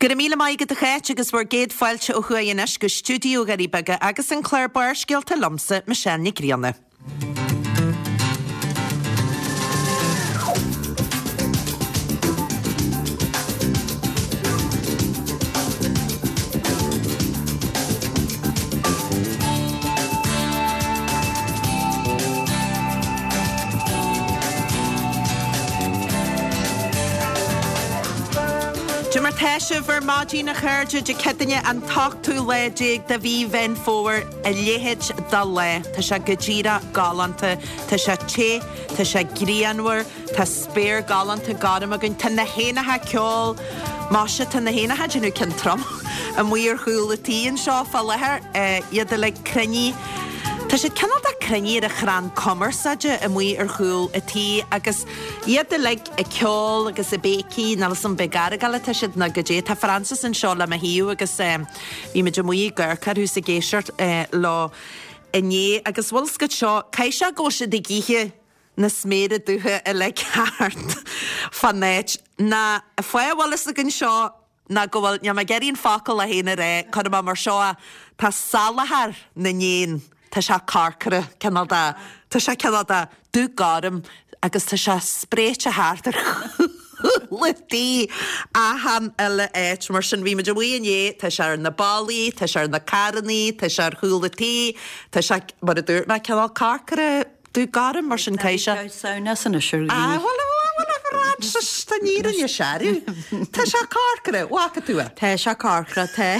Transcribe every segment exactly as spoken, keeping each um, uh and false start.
Go raibh míle maith agat a Cháit agus bhur gcéad fáilte ó thuaidh anois go stiúideo Dhoirí Beaga agus an clár Barrscéalta liomsa Michelle Nic Grianna. Cad é mar tá sibh ar maidin a chairde Dé Céadaoine an t-ochtú lá déag de mhí Mheán Fómhair a leithéid de lá. Tá sé go díreach galánta, Tá sé te, tá sé grianmhar, Tá spéir galánta gorm againn, Tá na héanacha ag ceol, Maise tá na héanacha ag déanamh ceann trom amuigh ar chúl an tí anseo fá láthair, iad uilig cruinnithe. Tá siad cineál de cruinnithe ar an chrann cumarsáide amuigh ar chúl an tí agus iad uilig ag ceol agus ag béicigh, níl 'fhios a'm ab ag argáil atá siad nó goidé. Tá Frances anseo le mo thaobh agus bhí muid amuigh ag amharc orthu is ag éisteacht leo inné agus bhfuil 'fhios agat seo, caithfidh sé go bhfuil siad ag ithe na sméara dubha uilig thart fán áit. Ná fáth a bhfuil 'fhios againn seo ná go bhfuil, níl mé ag iarraidh an focal é féin a rá, cuirfidh mé mar seo é, tá salachar na n-éan, tá sé corcra, cineál de, tá sé cineál de dubh gorm agus tá sé spréite thart ar chúl an tí achan uile áit. Mar sin, bhí muid amuigh inné, tá sé ar na ballaí, tá sé ar na carrannaí, tá sé ar chúl an tí, tá sé, mar a dúirt mé, cineál corcra, dubh gorm, mar sin caithfidh sé. Samhnas anois ar Ah, bhuel, bhuel, a Frances, tá an fhírinne searbh. Tá sé corcra, bhfaca tú é? Tá sé corcra, tá,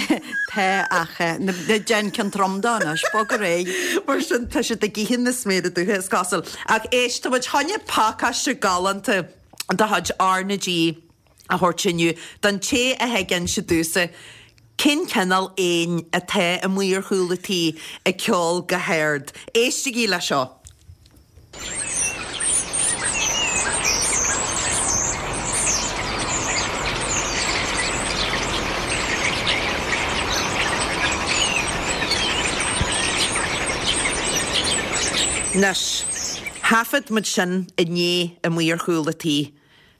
tá ach na déan ceann trom de anois, bog ar aghaidh. Mar sin, tá siad ag ithe na sméara dubha, is cosúil. Ach éist, tá muid chun pacáiste galánta de chuid R na G a thabhairt inniu don té a thig inse domhsa cén cineál éin atá amuigh ar chúl an tí ag ceol go hard. Éistigí le seo. Anois, thaifead muid sin inné amuigh ar chúl an tí.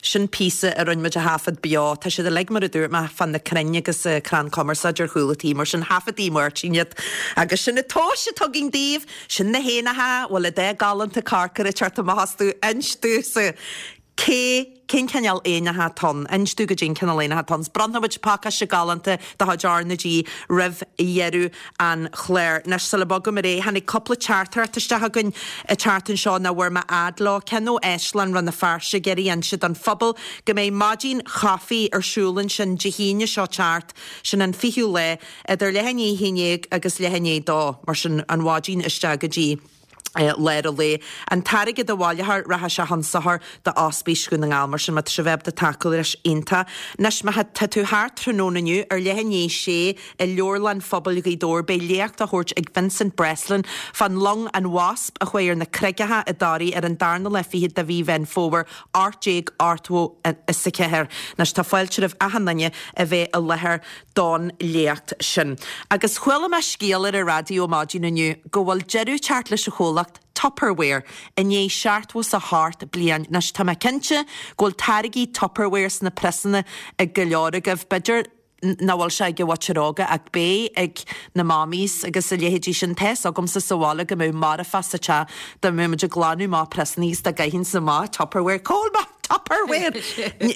Sin píosa a rinne muid a thaifead beo. Tá siad uilig, mar a dúirt mé, fá na crainn agus crann cumarsáide ar chúl an tí, mar sin thaifead Máirtín iad. Agus sin an tomhas atá againn daoibh, sin na héanacha, bhfuil a dath galánta corcra ag teacht amach astu, inis domhsa cé, cén cineál éanacha atá ann, inis domh goidé an cineál éanacha atá ann. Bronnfaidh muid pacáiste galánta de chuid R na G roimh dheireadh an chláir. Anois, sula mbogaim ar aghaidh, tháinig cúpla teachtaireacht isteach againn an tseachtain seo nach bhfuair mé fhad leo. Ceann ó Áislann Rann na Feirste ag iarraidh inse don phobal go mbeidh maidin chaife ar siúl ansin Dé hAoine seo teacht, sin an fichiú lá, idir leath i ndiaidh a haon déag agus leath i ndiaidh a dó, mar sin an mhaidin isteach go dtí lár an lae. An t-airgead a bhaileofar, rachaidh sé chun sochair do Ospís Dhún na nGall. Mar sin, má tá sibh ábalta tacú leis, iontach. Anois, má tá tú thart tráthnóna inniu, ar leath i ndiaidh a sé, i Leabharlann Phobail Ghaoth Dobhair, beidh léacht á thabhairt ag Vincent Breslin fán long an Wasp a chuaigh ar na Carraigeacha i dToraigh ar an darna lá fichead de mhí Mheán Fómhair, ocht déag ochtó is a ceathair. Anois, tá fáilte roimh achan duine a bheith i láthair don léacht sin. Agus chuala mé scéal ar an raidió maidin inniu go bhfuil deireadh teacht leis an chomhlacht Tupperware i ndiaidh seachtó is a hocht bliain. Anois tá mé cinnte go bhfuil táirgí Tupperware sna priosanna ag go leor agaibh. B'fhéidir nach bhfuil sé ag an mhuintir óga ach beidh ag na mammies agus a leithéidí sin. Tá fhios agamsa sa bhaile go mbeadh marfach sa teach dá mbeadh muid ag glanadh amach priosanna agus dá gcaithfinnse amach Tupperware. Cá bhfuil mo Tupperware!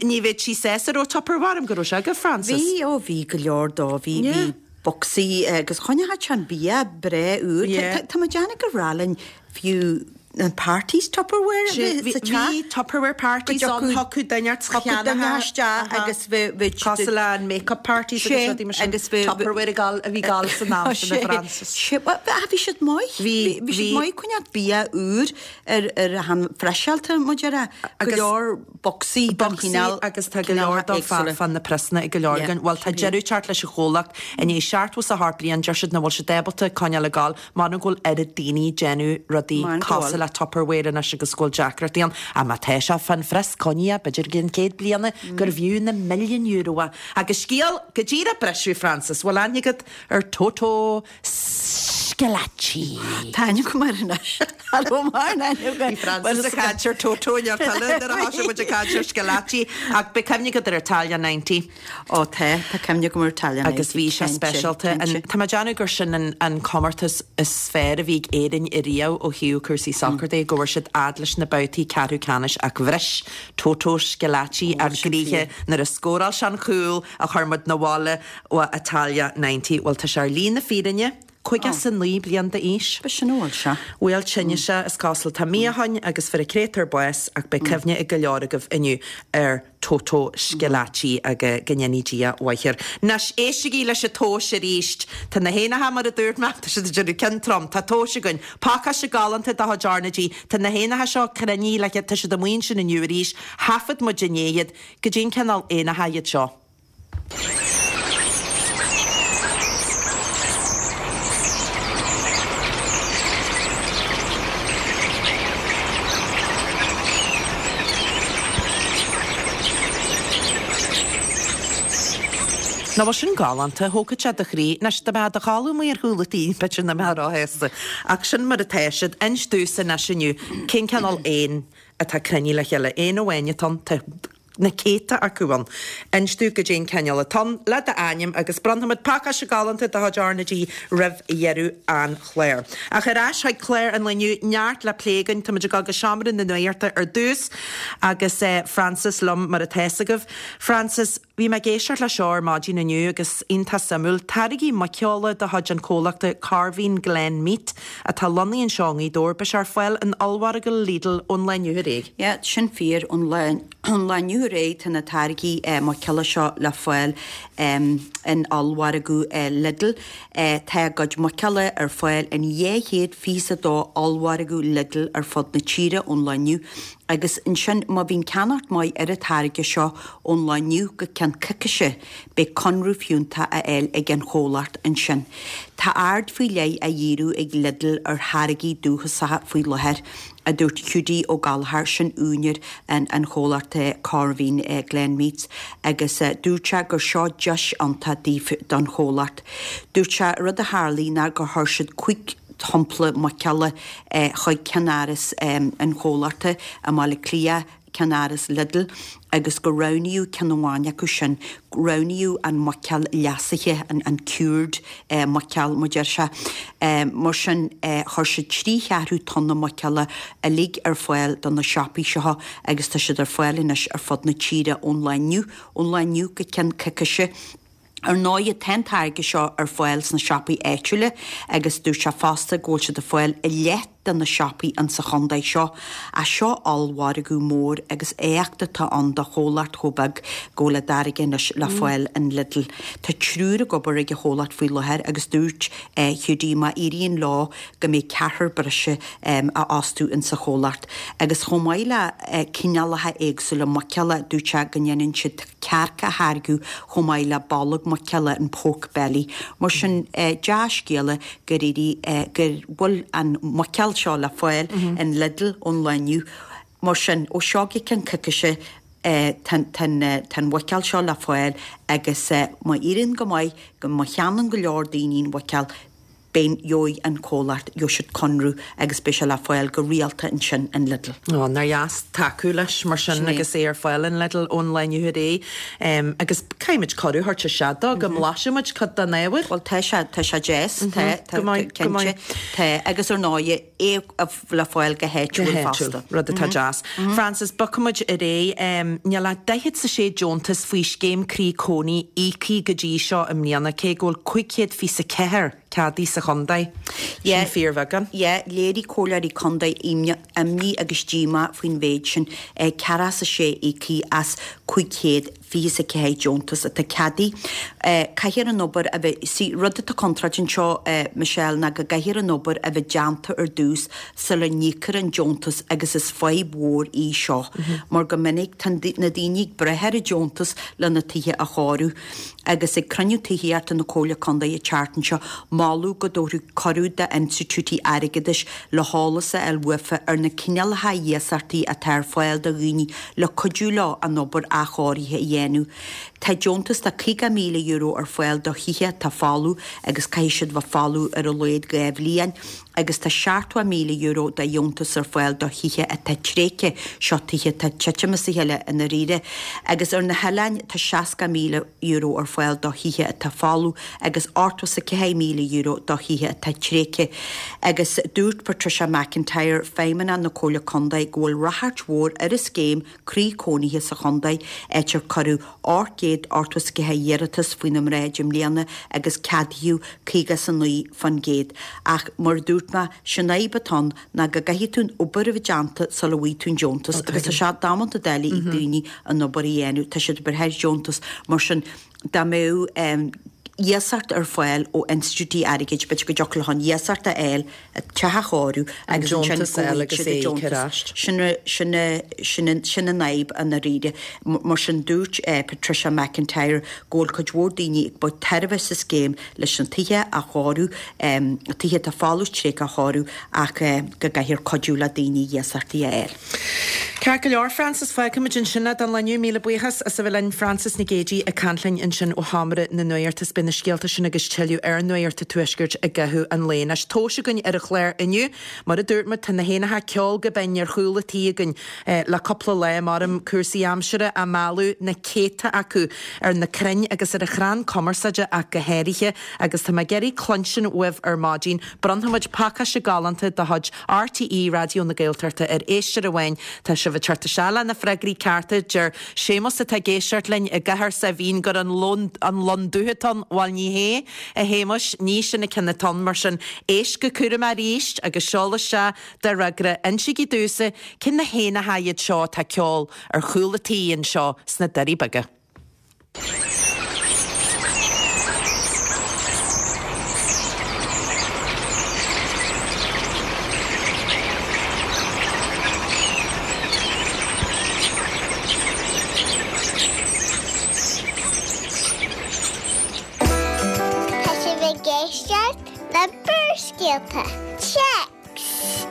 Ní bheadh sí sásta raibh Tupperware agam go raibh sé agat, Frances. Bhí, ó bhí go leor dó, bhí, bhí bocsaí agus choinneodh sé an bia breá úr. Tá mé ag déanamh gur bhreá linn fiú na parties Tupperware a bheith sa teach. Bhí Tupperware parties ann, thiocfadh duine ort Thiocfadh duine isteach agus bheadh, bheadh. Cosúil le an make-up parties agus rudaí mar sin. Agus bheadh. Tupperware a gabháil, a bhí ag gabháil san am sin, a Frances. Sé, bhuel, bhí siad maith. Bhí, bhí. Bhí siad maith coinneáil bia úr ar, ar an freiseáilte, mar a déarfá. Go leor bocsaí den chineál. Bocsaí agus tá go leor dó fá na priosanna ag go leor againn. Bhuel, tá deireadh teacht leis an chomhlacht i ndiaidh seachtó is a hocht bliain, deir siad nach bhfuil siad ábalta coinneáil ag gabháil, m'anam go bhfuil oiread daoine ag déanamh rudaí cosúil le Tupperware anois agus go bhfuil deacrachtaí ann. Ach má tá sé fán phrios, coinnigh é, b'fhéidir go gceann céad bliana gurbh fhiú na milliúin euro é. Agus scéal go díreach briseadh, Frances, bhfuil aithne agat ar Toto Schillaci. Tá ainm agam air anois. Mar Bhí Francis ag caint ar Toto ar tuile nuair a thosaigh muid ag caint ar Schillaci ach beidh cuimhne agat ar Italia ninety. Ó tá tá cuimhne agam ar Italia ninety. Agus bhí sé speisialta. Tá mé ag déanamh gur sin an an comórtas is fearr a bhí ag Éirinn ariamh ó thaobh cúrsaí sacair de, go bhfuair siad fhad leis na babhtaí ceathrú ceannais ach bhris Toto Schillaci ár gcroíthe nuair a scóráil sé an cúl a chuir muid 'na bhaile ó Italia ninety. Bhuel tá sé ar shlí na fírinne. Caoga is a naoi bliain d'aois. B'shin a bhfuil sé. Bhuel tine sé is cosúil. Tá mí ó shoin agus fuair an créatúr bás ach beidh cuimhne ag go leor agaibh inniu ar Toto Schillaci agus go ndéanaí Dia a mhaith air. Anois, éistigí leis an tomhas arís. Tá na héanacha mar a dúirt mé, tá siad ag déanamh ceann trom. Tá tomhas againn. Pacáiste galánta de chuid R na G. Tá na héanacha seo cruinnithe le tá siad amuigh ansin inniu arís. Thaifead muid inné iad. Goidé an cineál éanacha iad seo. Nach bhfuil sin galánta, thógfadh sé do chroí. Anois, dá mbeifeá i do chodladh amuigh ar chúl an tí, b'fhéidir nach mbeifeá róshásta. Ach sin mar atá siad. Inis domhsa anois inniu, cén cineál éan atá cruinnithe le chéile? Éan amháin atá ann, tá na céadta acu ann. Inis domh goidé an cineál atá ann, le d'ainm, agus bronnfaimid pacáiste galánta de chuid R na G roimh dheireadh an chláir. Ach ar ais chuig clár an lae inniu, neart le plé againn. Táimid ag dul go seomra na nuachta ar dtús agus Frances liom mar atá fhios agaibh. Frances, Bhí mé ag éisteacht leis seo ar maidin inniu agus iontach suimiúil. Táirgí muiceola de chuid an chomhlachta Corveen Glen Meat atá lonnaithe anseo i nGaoth Dobhair, beidh sé ar fáil in ollmhargadh Lidl ón lá inniu ar aghaidh. Yeah, sin fíor. Ón lá ón lá inniu ar aghaidh tá na táirgí muiceola seo le fáil in ollmhargadh Lidl. Tá a gcuid muiceola ar fáil in dhá chéad fiche is a dó ollmhargadh Lidl ar fud na tíre ón lá inniu. Agus ansin, má bhíonn ceannacht maith ar an táirge seo ón lá inniu go ceann coicíse, beidh conradh fiúntach á fháil ag an chomhlacht ansin. Tá aird faoi leith á dhíriú ag Lidl ar tháirgí dúchasacha faoi láthair, a dúirt Hiúdaí Ó Gallchóir, sin úinéir an an chomhlachta Corveen Glen Meats, agus dúirt sé gur seo deis iontach daofa don chomhlacht. Dúirt sé rud a tharlaigh ná gur chuir siad cúig shampla muiceola chuig ceannáras an chomhlachta i mBaile Átha Cliath, ceannáras Lidl, agus gur roghnaíodh ceann amháin acu sin, roghnaíodh an muiceoil leasaithe, an cured muiceoil, mar deir sé. Mar sin, chuir siad trí cheathrú tonna muiceola uilig ar fáil do na siopaí seo agus tá siad ar fáil anois ar fud na tíre ón lá inniu, ón lá inniu go ceann coicíse. Ar ndóigh, tá an táirge seo ar fáil sna siopaí áitiúla agus dúirt sé fosta go bhfuil siad ar fáil i leath de na siopaí insa chontae seo. Ach seo ollmhargadh mór agus éacht atá ann do chomhlacht chomh beag go bhfuil a dtáirge anois le fáil in Lidl. Tá triúr ag obair ag an chomhlacht faoi láthair agus dúirt Hiúdaí má éiríonn leo go mbeidh ceathrar breise á fhostú insa chomhlacht. Agus chomh maith le cineálacha éagsúla muiceola, dúirt sé go ndéanann siad cearc a tháirgeadh chomh maith le bolg muiceola, an pork belly. Mar sin, dea-scéala gur éirigh, go bhfuil an mhuiceoil seo le fáil in Lidl ón lá inniu. Mar sin, ó seo go ceann coicíse, tá an mhuiceoil seo le fáil agus má éiríonn go maith, má cheannaíonn go leor daoine an mhuiceoil, Beidh, gheobhaidh an comhlacht, gheobhaidh siad conradh agus beidh sé le fáil go rialta ansin in Lidl. Ó, nár dheas tacú leis mar sin agus é ar fáil in Lidl ón lá inniu ar aghaidh. Agus caithfidh muid cuireadh a thabhairt isteach dó go mblaisfidh muid cuid den ábhar. Bhuel, tá sé, tá sé deas, tá, tá, cinnte, tá, agus ar ndóigh, é le fáil go háitiúil fosta. Rud atá deas. Frances, bogfaidh muid ar aghaidh. Níl ach daichead 's a sé deontas faoi Scéim Croí Cónaí íoctha go dtí seo i mbliana, cé go bhfuil cúig chéad fiche 's a ceathair ceadaithe sa chontae. Sin fíorbheagán. Yeah, léirigh comhairleoirí contae imní agus díomá faoin mhéid sin, ceathracha 's a sé íoctha as cúig chéad fiche 's a ceathair deontas atá ceadaithe. Caithfear an obair a bheith, see, rud atá contráilte anseo, Michelle, ná go gcaithfear an obair a bheith déanta ar dtús sula n-íocfar an deontas agus is fadhb mhór í seo mar go minic tá na daoine ag brath ar an deontas lena tithe a chóiriú. Agus ag cruinniú tithíochta na Comhairle Contae an tseachtain seo, moladh go dtabharfaí cuireadh d'institiúidí airgeadais le heolas a fháil uafa ar na cineálacha iasachtaí atá ar fáil do dhaoine le cuidiú leo an obair athchóirithe a dhéanamh. dhéanamh. Tá deontas de caoga míle euro ar fáil do thithe atá folamh agus caithfidh siad bheith folamh ar a laghad dhá bhliain agus tá seachtó míle euro de dheontas ar fáil do thithe atá tréigthe, seo tithe atá ag titim as a chéile i ndáiríre. Agus ar na hoileáin tá seasca míle euro ar fáil do thithe atá folamh agus ochtó is a ceathair míle euro do thithe atá tréigthe. Agus dúirt Patricia McIntyre, Feidhmeannach na Comhairle Contae, go bhfuil ráchairt mhór ar an scéim Croí Cónaithe sa chontae, áit ar cuireadh ocht gcéad ochtó is a ceathair iarratas faoina mbráid i mbliana agus ceadaíodh caoga is a naoi faoin gcéad. Ach mar a dúirt mé, sin fhadhb atá ann ná go gcaithfidh tú an obair a bheith déanta sula bhfaighidh tú an deontas agus tá sé damanta doiligh ag daoine an obair a dhéanamh, tá siad ag brath ar dheontas mar sin dá mbeadh iasacht ar fáil ó institiúidí airgid, b'fhéidir go dtiocfadh leo an iasacht a fháil, teach a chóiriú agus ansin go bhfaighidh siad an deontas. Sin sin sin sin an fhadhb i ndáiríre. Mar sin dúirt Patricia McIntyre go bhfuil cuid mhór daoine ag baint tairbhe as an scéim leis na tithe a chóiriú, tithe atá folamh tréigthe a chóiriú ach go gcaithfear cuidiú le daoine iasachtaí a fháil. Ceart go leor, Frances, fágfaimid ansin é don lá inniu. Míle buíochas as a bheith linn, Frances Nic Géadaigh ag caint linn ansin ó Sheomra na Nuachta. Is beidh na scéalta sin agus tuilleadh ar Nuacht an Tuaiscirt i gcaitheamh an lae. Anois, tomhais againn ar an chlár inniu. Mar a dúirt muid, tá na héanacha ag ceol go binn ar chúl an tí againn le cúpla lá, maram cúrsaí aimsire á mealladh, na céadta acu ar na crainn agus ar an chrann cumarsáide ach go háirithe. Agus tá mé ag iarraidh cluinstin uaibh ar maidin. Bronnfaimid pacáiste galánta de chuid RTÉ Raidió na Gaeltachta ar éisteoir amháin. Tá sibh ag teacht isteach le na freagraí cearta. Deir Séamus atá ag éisteacht linn i gCathair Saidhbhín gur an lon an lon dubh atá ann. Bhuel ní hé, a Shéamuis, ní sin an ceann atá ann. Mar sin, éist go cúramach arís agus seol isteach do fhreagra. Insígí domhsa cé na héanacha iad seo atá ag ceol ar chúl an tí anseo sna Doirí Beaga. Tá sibh ag éisteacht le Barrscéalta. Téacs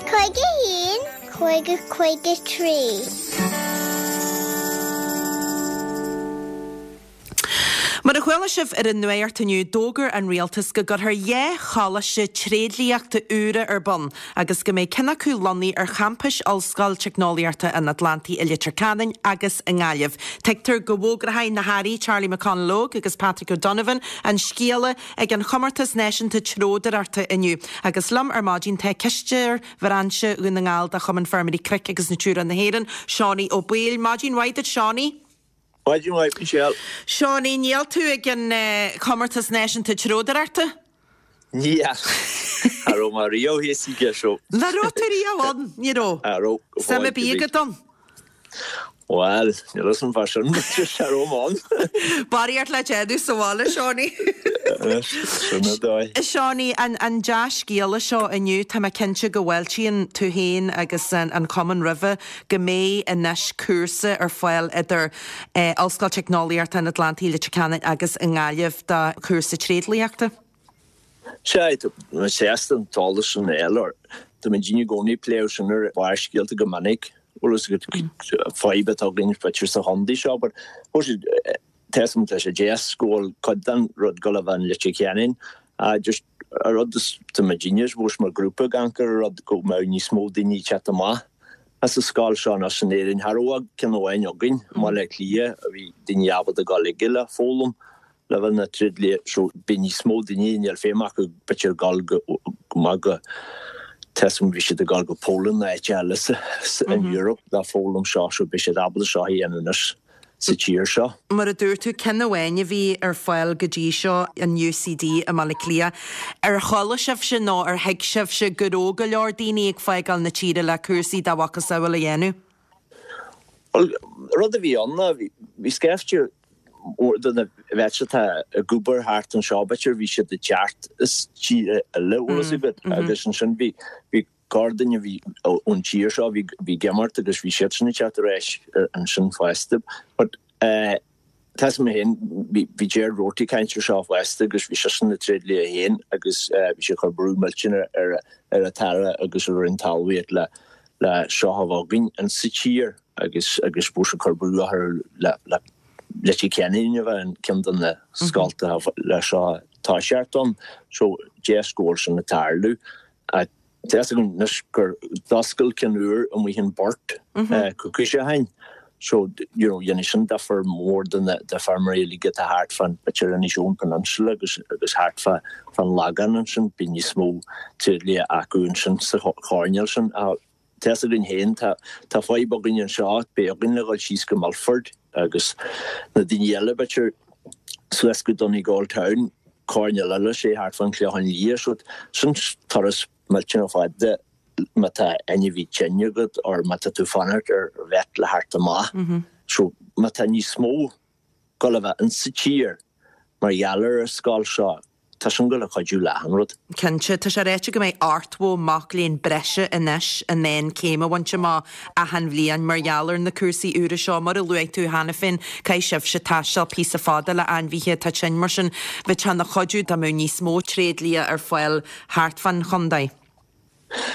cúig a haon, cúig a cúig a trí. Mar a chuala sibh ar an nuacht inniu, d'fhógair an rialtas go gcuirfear dhá choláiste tréidliachta úra ar bun agus go mbeidh ceann acu lonnaithe ar champais Ollscoil Teicneolaíochta an Atlantaigh i Leitir Ceanainn agus i nGaillimh. Tuigtear go bhfógróidh na hAirí Charlie McConalogue agus Patrick O'Donovan an scéala ag an Chomórtas Náisiúnta Treodóireachta inniu. Agus liom ar maidin tá Cisteoir Bhrainse Dhún na nGall de Chumann Feirmeoirí Cnoic agus Natura na hÉireann, Seánie Ó Baoill. Maidin mhaith duit, Seánie. Maidin mhaith, Michelle. Seánie, níl tú ag an Chomórtas Náisiúnta Treodóireachta? Níl. Cha raibh mé riamh thíos aige seo. Nach raibh tú riamh ann? Ní raibh. Cha raibh, go Suim ar bith agat ann? Bhuel, níl fhios agam fá sin, cha raibh mé ann. Barraíocht le déanamh sa bhaile, Seánie. Sin é dóigh. Seánie, an an dea-scéala seo inniu, tá mé cinnte go bhfáiltíonn tú féin agus an cumann roimhe go mbeidh anois cúrsa ar fáil idir Ollscoil Teicneolaíochta an Atlantaigh, Leitir Ceanainn agus i nGaillimh do chúrsa tréidliachta. Sea, tá mé sásta an t-eolas sin a fháil. Tá muid i gcónaí ag plé sin ar Bharrscéalta go minic. Bhfuil fhios agat fadhb atá againn b'fhéidir sa chontae seo but tá fhios agam tá sé deas go bhfuil cuid den rud ag dul a bheith in Leitir Ceanainn just an rud is tá muidinne is mó mar grúpa ag amharc ar an rud go mbeadh níos mó daoine ag teacht amach as an scoil seo anois in Éirinn. Cha raibh ach ceann amháin againn i mBaile Átha Cliath a bhí daoine ábalta a dhul aige le foghlaim le bheith ina tréidlia so beidh níos mó daoine níl feidhm acu b'fhéidir dul go maith go tá fhios agam bhí siad ag dul go Poland nó áit eile sa in Europe le foghlaim seo so beidh siad ábalta seo a dhéanamh anois sa tír seo. Mar a dúirt tú, ceann amháin a bhí ar fáil go dtí seo, an UCD i mBaile Átha Cliath. Ar chuala sibhse nó ar thuig sibhse go raibh go leor daoine ag fágáil na tíre le cúrsaí dá mhacasamhail a dhéanamh? Bhuel, rud a bhí ann ná bhí scaifte mór de na bheirt atá ag obair thart anseo, b'fhéidir bhí siad ag teacht as tíortha eile, bhfuil fhios agat, agus ansin bhí bhí corrduine a bhí ón tír seo, bhí bhí ag imeacht agus bhí siadsan ag teacht ar ais ansin fosta. But eh tá fhios agam féin, bhí bhí Gerard Roarty ag caint ar seo fosta agus bhí seisean ina tréidlia féin agus eh bhí sé ag cur brú millteanach ar ar an tAire agus ar an Roinn Talmhaíochta le le seo a bheith againn in sa tír agus agus bhí sé ag cur brú orthu le le Leitir Ceanainn a bheith an ceann de na scoltacha le seo toiseacht ann so deis go bhfuil sin ag tarlú. Tá fhios agam anois gur d'oscail ceann úr amuigh in Burt coicís ó shin so you know dhéanfaidh sin difear mór do na do feirmeoirí uilig atá thart fán b'fhéidir Inishowen Peninsula agus agus thart fá fán Lagán ansin bíonn níos mó tréidlia acu ansin sa choirnéal sin. Tá fhios againn féin, tá tá fadhb againn anseo, beidh againn le dhul síos go Milford agus na daoine eile b'fhéidir suas go Donegal Town, coirnéal eile sé thart fán Chlochán Liath, so sin turas millteanach fada má tá ainmhí tinn agat or má tá tú fanacht ar vet le theacht amach. So má tá níos mó gul a bheith insa tír mar gheall ar an scoil seo, Tá sin ag gabháil a chuidiú le achan rud. Cinnte, tá sé ráite go mbeidh ochtó mac léinn breise anois in ann céim a bhaint amach achan bhliain mar gheall ar na cúrsaí úra seo. Mar a luaigh tú cheana féin, caithfidh sibhse taisteal píosa fada le ainmhithe atá tinn, mar sin bheadh sé ina chuidiú dá mbeadh níos mó tréidlia ar fáil thart fán chontae.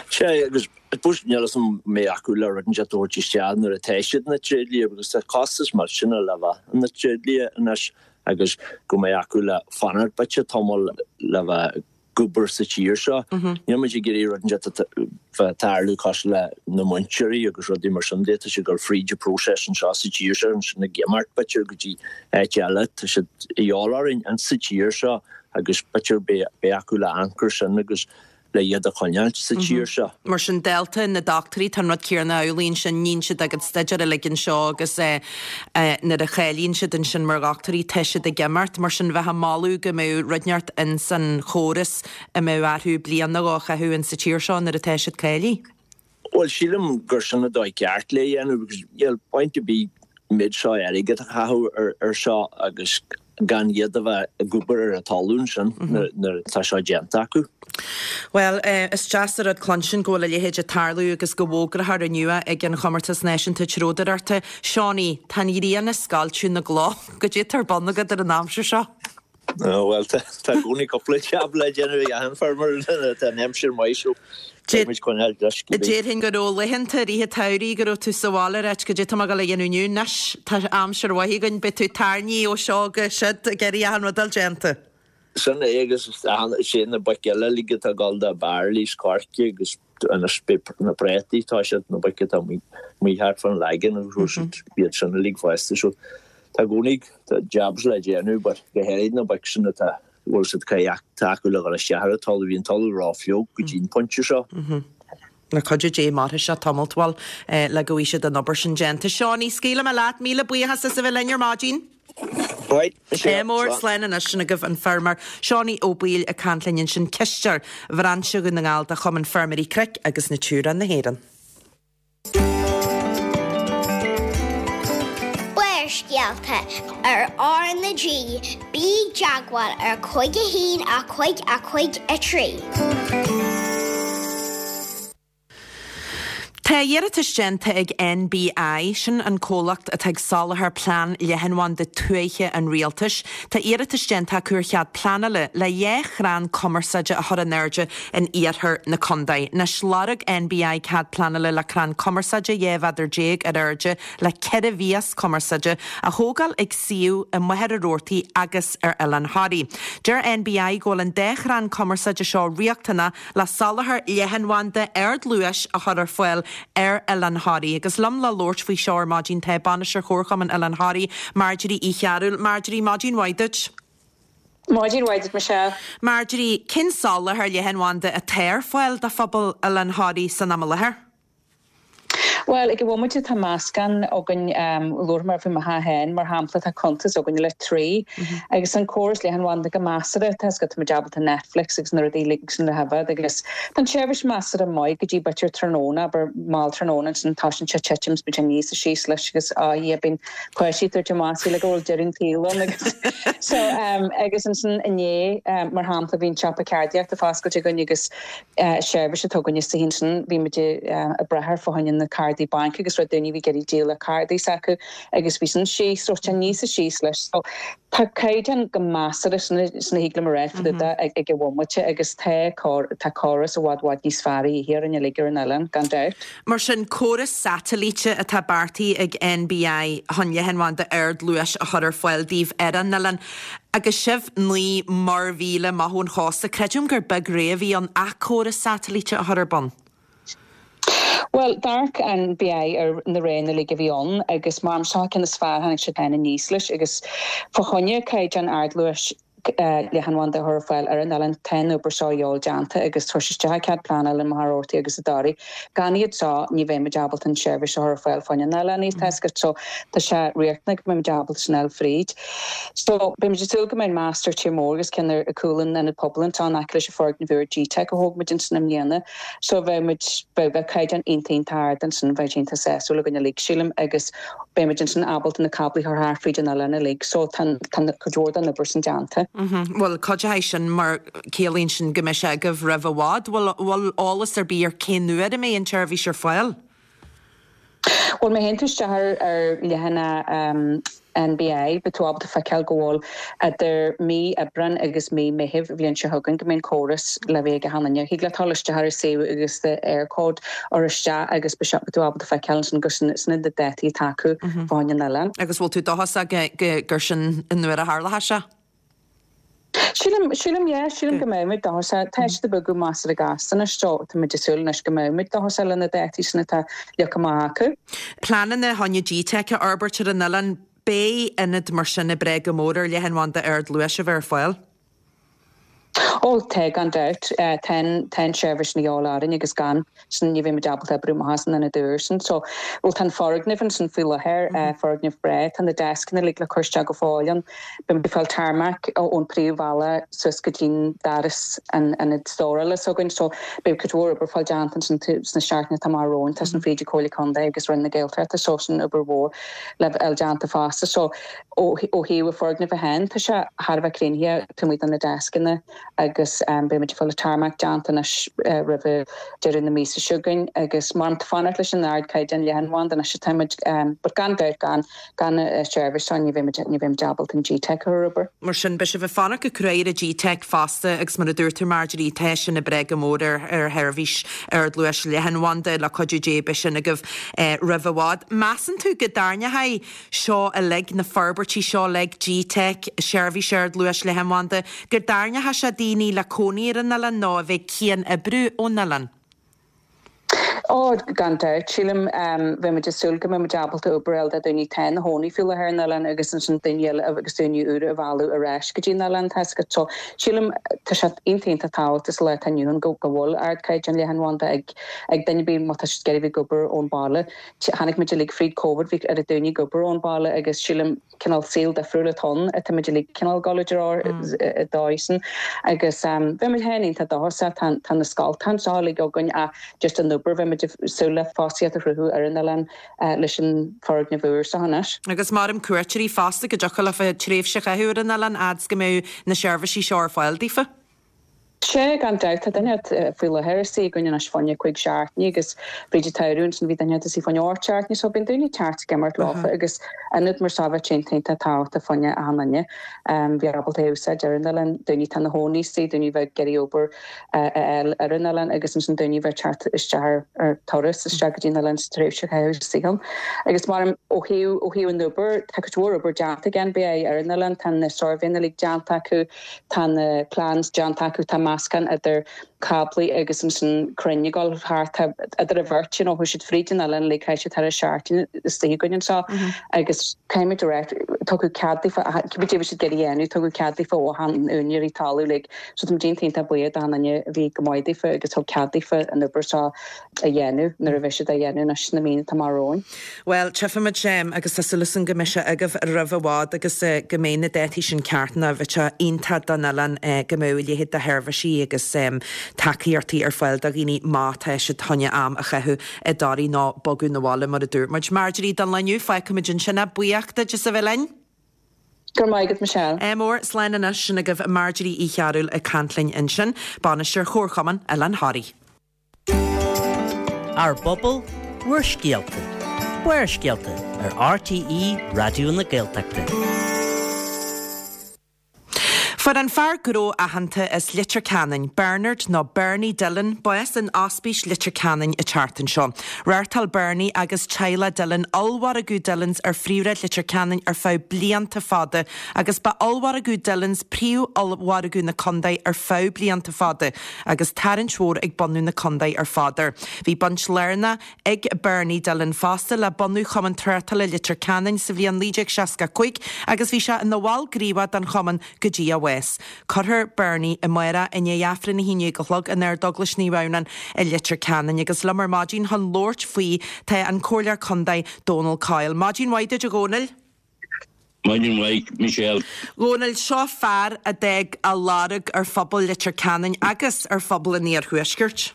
Sea, agus I suppose níl fhios agam an mbeidh acu le rud inteacht a thabhairt isteach nuair atá siad ina dtréidlia because tá costas millteanach le bheith ina dtréidlia anois agus go mbeidh acu le fanacht b'fhéidir tamall le bheith ag obair sa tír seo. Níl muid ag iarraidh rud inteacht a bheith ag tarlú cosúil le na múinteoirí agus rudaí mar sin de, tá siad ag dul fríd an próiseas anseo sa tír seo ansin ag imeacht b'fhéidir go dtí áit eile, tá siad a dhíobháil orainn insa tír seo agus b'fhéidir beidh acu le anchor sin agus le iad a choinneáilt sa tír seo. Mar sin, dálta na dochtúirí, tá an rud céanna amhlaidh ansin, níonn siad a gcuid staidéir uilig anseo agus nuair a cháilíonn siad ansin mar dhochtúirí, tá siad ag imeacht. Mar sin, bheith ag moladh go mbeadh rud inteacht ins an chóras a mbeadh orthu bliain nó dhó a chaitheamh ins sa tír seo nuair atá siad cáilithe. Bhuel, sílim gur sin an dóigh ceart le dhéanamh because níl point ar bith an méid seo airgid a chaitheamh ar seo agus gan iad a bheith ag obair ar an talamh ansin nuair atá seo déanta acu. Bhuel, is deas an rud cluinstin go bhfuil a leithéid ag tarlú agus go bhfógrófar inniu ag an Chomórtas Náisiúnta Treodóireachta. Seánie, tá an ghrian ag scoilteadh na gcloch. Goidé atá ar bun agat ar an aimsir seo? Bhuel, tá i gcónaí cúpla jab le déanamh ag achan feirmeoir nuair atá an aimsir maith so beidh muid coinneáil leis cibé. Déarfainn go raibh laethanta i rith an tsamhraidh go raibh tú sa bhaile ag ráit goidé atá mé ag dul a dhéanamh inniu anois tá aimsir mhaith againn beidh tú ag tairní ó seo go siúd ag iarraidh achan rud a fháil déanta. Sin é agus sé na boic eile uilig atá ag dul do barley is coirce agus anois beidh na préataí tá siad na boic atá amuigh thart fán Lagan agus iad sin uilig fosta so Tá i gcónaí tá jobs le déanamh but go háirid na boic sin atá bhfuil siad caithfidh tacú le dhul isteach ar an talamh bhí an talamh rófhliuch go dtí an pointe seo. Le cuidiú Dé mairfidh sé tamalt bhuel le go bhfaighidh siad an obair sin déanta. Seánie, scaoilfidh mé leat, míle buíochas as a bheith linn ar maidin. Right, Ádh mór, slán anois sin agaibh an feirmeoir Seánie Ó Baoill ag caint linn ansin, cisteoir Bhrainse Dhún na nGall de Chumann Feirmeoirí Cnoic agus Natura na hÉireann. Barrscéalta ar R na G, bí i dteagmháil ar cúig a haon a cúig a cúig a trí. Tá iarratas déanta ag NBI, sin an comhlacht atá ag soláthar plean leathanbhanda tuaithe an rialtais, tá iarratas déanta acu ar chead pleanála le dhá chrann cumarsáide a chur in airde in iarthar na contae. Anois lorg NBI cead pleanála le crann cumarsáide dhá mhéadar déag ar airde le ceithre mhias cumarsáide a thógáil ag suíomh i Machaire Rabhartaigh agus ar Oileán Thoraí. Deir NBI go bhfuil an dá chrann cumarsáide seo riachtanach le soláthar leathanbhanda ardluais a chur ar fáil ar Oileán Thoraí. Agus liom le labhairt faoi seo ar maidin tá Bainisteoir Chomharchumann Oileán Thoraí, Marjorie Uí Chearúil. Marjorie, maidin mhaith duit. Maidin mhaith duit, Michelle. Marjorie, cén soláthar leathanbhanda atá ar fáil do phobal Oileán Thoraí san am i láthair? Bhuel, ag an bhomaite tá meascán againn, labharfaidh mé faoi mo theach féin, mar shampla, tá cuntas againn le Three agus an córas leathanbhanda go measartha, tá 's agat, tá muid ábalta Netflix agus na rudaí uilig sin a choimhéad agus tá an tseirbhís measartha maith go dtí b'fhéidir tráthnóna, abair mall tráthnóna, ansin tosaíonn sé ag titim is bíonn sé aníos is síos leis agus á yeah bíonn páistí ag tabhairt amach like go bhfuil deireadh an tsaoil ann agus so agus ansin inné mar shampla bhí an siopa ceardaíochta foscailte againn agus seirbhís atá againn istigh ansin bhí muid ag brath ar fá choinne na ceardaithe cárdaí bainc agus raibh daoine bhí ag iarraidh díol le cárdaí s'acu agus bhí sin síos so tá níos síos leis so tá caighdeán go measartha sin a thig liom a rá fá dtaobh de ag ag an bhomaite agus tá tá córas i bhfad bhfad níos fearr a dhíth orainn uilig ar an oileán gan dabht. Mar sin córas satailíte atá beartaithe ag NBI chun leathanbhanda ardluais a chur ar fáil daoibh ar an oileán. Agus sibh naoi muirmhíle amach ón chósta, creidim gur beag rogha a bhí ann ach córas satailíte a chur ar bun. Bhuel, d'amharc NBI ar na roghanna uilig a bhí ann agus mar seo ceann is fearr tháinig siad féin aníos leis agus fá choinne caighdeán ardluais leathanbhanda a chur ar fáil ar an oileán tá an obair seo a dhíobháil déanta agus tabhairt isteach cead pleanála i Machaire Rabhartaigh agus i dToraigh. Gan iad seo ní bheidh muid ábalta an tseirbhís a chur ar fáil fá choinne an oileáin tá a fhios agat so tá sé riachtanach go mbeidh muid ábalta sin a fháil fríd. So beidh muid ag súil go mbeidh mast ar tír mór agus ceann ar cúl an ionad pobail anseo in aice leis an foirgneamh úr GTeic a thóg muid ansin i mbliana. So bheidh muid beidh bheadh caighdeán iontach iontach ard ansin bheidh sé iontach sásúil againn uilig sílim agus beidh muid ansin ábalta na cáblaí a chur thart fríd an oileán uilig so tá tá cuid mhór den obair sin déanta. Bhuel cuideoidh sin mar ciallaíonn sin go mbeidh sé agaibh roimh i bhfad. Bhfuil bhfuil eolas ar bith ar cén uair a mbeidh an tseirbhís ar fáil? Bhuel má théann tú isteach ar ar leathanach NBI beidh tú ábalta feiceáil go bhfuil idir mí Aibreán agus mí Meitheamh bhliain seo chugainn go mbeidh an córas le bheith ag achan duine. Thig leat dul isteach ar an suíomh agus do Eircode a chur isteach agus beidh sé beidh tú ábalta feiceáil ansin gur sin sin na dátaí atá acu fá choinne an oileáin. Agus bhfuil tú dóchasach go go gur sin an uair a tharlóidh sé? Sílim sílim yeah, sílim go mbeidh muid dóchasach. Tá siad ag bogadh measartha gasta anois so tá muid ag súil anois go mbeidh muid dóchasach le na dátaí sin atá leagtha amach acu. Pleananna chun GTeic a fhorbairt ar an oileán, beidh ionad mar sin ag brath go mór ar leathanbhanda ardluais a bheith ar fáil. Ó tá gan dabht tá tá an seirbhís ní orainn agus gan sin ní bheidh muid ábalta oibriú amach as an ionad úr sin. So bhuel tá an foirgneamh ansin faoi láthair foirgneamh breá, tá na deascanna uilig le cur isteach go fóill ann. Beidh muid ag fáil tarmac ón príomhbhealach suas go dtí'n doras an ionad stórála s'againn, so beidh cuid mhór obair fáil déanta ansin sna seachtainí atá amach romhainn, tá sin fríd Comhairle Contae agus Roinn na Gaeltachta, so sin obair mhór le fháil déanta fosta. So ó ó thaobh an foirgneamh féin tá sé thar a bheith críochnaithe taobh amuigh de na deascanna agus beidh muid ag fáil an tarmac déanta anois roimh deireadh na míosa seo chugainn agus mar tá fanacht leis an ardchaighdeán leathanbhanda anois atá muid but gan dabht gan gan seirbhís seo ní bheidh muid ní bheidh muid ábalta an GTeic a chur ar obair. Mar sin beidh sibh ag fanacht go cruaidh ar an GTeic fosta agus mar a dúirt tú Marjorie tá sin ag brath go mór ar ar sheirbhís ardluais leathanbhanda le cuidiú Dé beidh sin agaibh roimh i bhfad. Measann tú go dtarraingeoidh seo uilig, na forbairtí seo uilig, GTeic, seirbhís ardluais leathanbhanda, go dtarraingeoidh sé daoine le cónaí ar an oileán nó a bheith cian-oibriú ón oileán? Ó gan dabht sílim bheidh muid ag súil go mbeidh muid ábalta obair a fháil do daoine atá ina chónaí faoi láthair ar an oileán agus ansin daoine eile agus daoine úra a mhealladh ar ais go dtí an oileán tá a fhios agat. So sílim tá sé iontach iontach tábhachtach sa lá atá inniu ann go go bhfuil ardchaighdeán leathanbhanda ag ag duine ar bith má tá siad ag iarraidh bheith ag obair ón baile. Tháinig muid uilig fríd Covid bhí ar daoine ag obair ón baile agus sílim cineál saol difriúil atá ann atá muid uilig cineál ag dul i dtreo i dóigh sin agus bheidh muid féin iontach dóchasach tá tá na scoltacha anseo uilig againn ach just an obair bheidh muid ag súil le fostaíocht a chruthú ar an oileán leis an foirgneamh úr seo anois. Agus maram cuairteoirí fosta go dtiocfadh leofa tréimhse a chaitheamh ar an oileán fhad 's go mbeadh na seirbhísí seo ar fáil daofa. Sea, gan dabht, tá duine faoi láthair istigh againn anois fá choinne cúig seachtaine agus fríd an tsamhradh ansin bhí duine istigh fá choinne ocht seachtaine so bíonn daoine ag teacht ag imeacht leofa agus ionad mar seo bheadh sé iontach tábhachtach fá choinne achan duine bheith ábalta é a úsáid ar an oileán, daoine atá ina chónaí istigh, daoine a bheadh ag iarraidh obair a fháil ar an oileán agus ansin daoine a bheadh ag teacht isteach ar ar turas isteach go dtí an oileán sa tréimhse a chaitheamh istigh ann. Agus mar ó thaobh ó thaobh an obair tá cuid mhór obair déanta ag NBI ar an oileán, tá na suirbhéanna uilig déanta acu, tá na plans déanta acu, tá meascán idir cáblaí agus ansin crainn ag dul thart tá idir an bheirt you know chuaigh siad fríd an oileán uilig chaith siad thar a seachtain istigh againn anseo agus caithfidh muid a rá tugadh cead daofa cibé cad a bhí siad ag iarraidh a dhéanamh tugadh cead daofa ó na húinéirí talaimh uilig so tá muid iontach iontach buíoch d'achan duine a bhí go maith daofa agus thug cead daofa an obair seo a dhéanamh nuair a bheidh siad á dhéanamh anois sna míonna atá amach romhainn. Bhuel, tchífimid agus tá súil againn go mbeidh sé agaibh roimh i bhfad agus go mbeidh na dátaí sin ceart nó bheadh sé iontach don oileán go mbeadh a leithéid de sheirbhísí agus tacaíochtaí ar fáil do dhaoine má tá siad chun am a chaitheamh i dToraigh nó bogadh 'na bhaile mar a dúirt muid. Marjorie don lá inniu, fágfaimid ansin é. Buíoch duit as a bheith linn. Go raibh maith agat Michelle. Ádh mór, slán anois, sin agaibh Marjorie Uí Chearúil ag caint linn ansin, Bainisteoir Chomharchumann Oileán Thoraí. Ár bpobal, Úrscéalta, Barrscéalta ar RTÉ Raidió na Gaeltachta. Fuair an fear gnó aitheanta as Leitir Ceanainn, Bernard nó Bernie Dillon, bás in Ospís Leitir Ceanainn an tseachtain seo. Reáchtáil Bernie agus teaghlach Dillon ollmhargadh Dillons ar phríomhshráid Leitir Ceanainn ar feadh blianta fada agus ba ollmhargadh Dillons príomh-ollmhargadh na contae ar feadh blianta fada agus tarraingt mhór ag bunú na contae ar fad air. Bhí baint lárnach ag Bernie Dillon fosta le bunú Chumann Tráchtála Leitir Ceanainn sa bhliain naoi déag seasca a cúig agus bhí sé ina bhall gníomhach den chumann go dtí a bhás. Cuirfear Bernie amárach i ndiaidh Aifreann a haon déag a chlog in Ardeaglais Naomh Adhamhnáin i Leitir Ceanainn agus liom ar maidin chun labhairt faoi tá an Comhairleoir Contae Dónal Coyle. Maidin mhaith duit a Dhónaill. Maidin mhaith, Michelle. Dhónaill, seo fear a d'fhág a lorg ar phobal Leitir Ceanainn agus ar phobal an Iarthuaiscirt.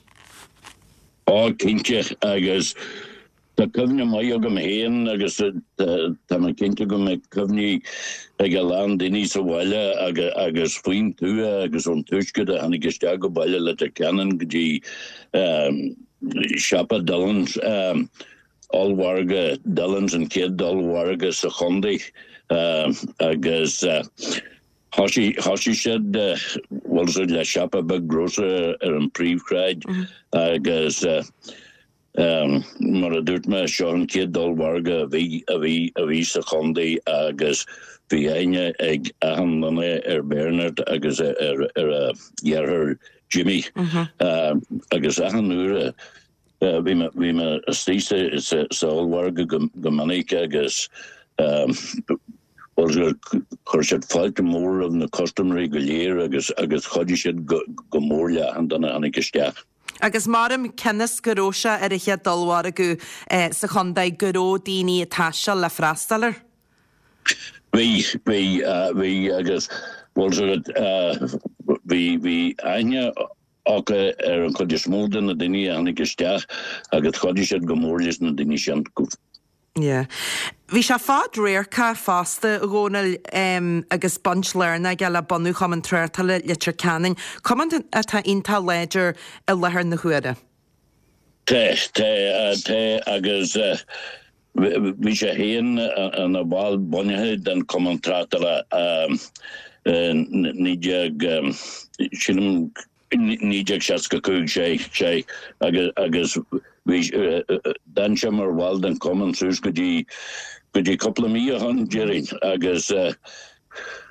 Ó, cinnte, agus tá cuimhne maith agam féin agus tá mé cinnte go mbeidh cuimhní ag a lán daoine sa bhaile agus faoin tuath agus ón tuaisceart a tháinig isteach go baile Leitir Ceanainn go dtí siopa Dillon's, ollmhargadh Dillon's, an chéad ollmhargadh sa chontae agus thosaigh thosaigh siad bhuel le siopa beag grocer ar an phríomhshráid agus Mar a dúirt mé, seo an chéad ollmhargadh a bhí, a bhí, a bhí sa chontae agus bhí aithne ag achan duine ar Bernard agus ar, ar a dheartháir Jimmy. Agus achan uair a bhí mé, bhí mé istigh sa, sa, sa ollmhargadh go, go minic agus bhuel, chuir siad fáilte mhór roimh na custaiméirí go léir agus, agus chuidigh siad go, go mór le achan duine a tháinig isteach. Agus maram cionn is go raibh sé ar an chéad ollmhargadh sa chontae go raibh daoine ag taisteal le freastal air. Bhí, bhí, bhí agus bhuel bhí, bhí aithne acu ar an chuid is mó de na daoine a tháinig isteach agus chuidigh siad go mór leis na daoine sin. Yeah. Bhí sé fadradharcach fosta, a Dhónaill, agus baint lárnach aige le bunú Chumann Tráchtála Leitir Ceanainn, cumann atá iontach láidir i láthair na huaire. Tá, tá, tá agus bhí sé féin ina bhall bunaithe den Chumann Tráchtála i naoi déag, sílim, naoi déag seasca cúig, sé, sé, agus, agus bhí, d'fhan sé mar bhall den chumann suas go dtí, go dtí cúpla mí ó shin, déarfainn, agus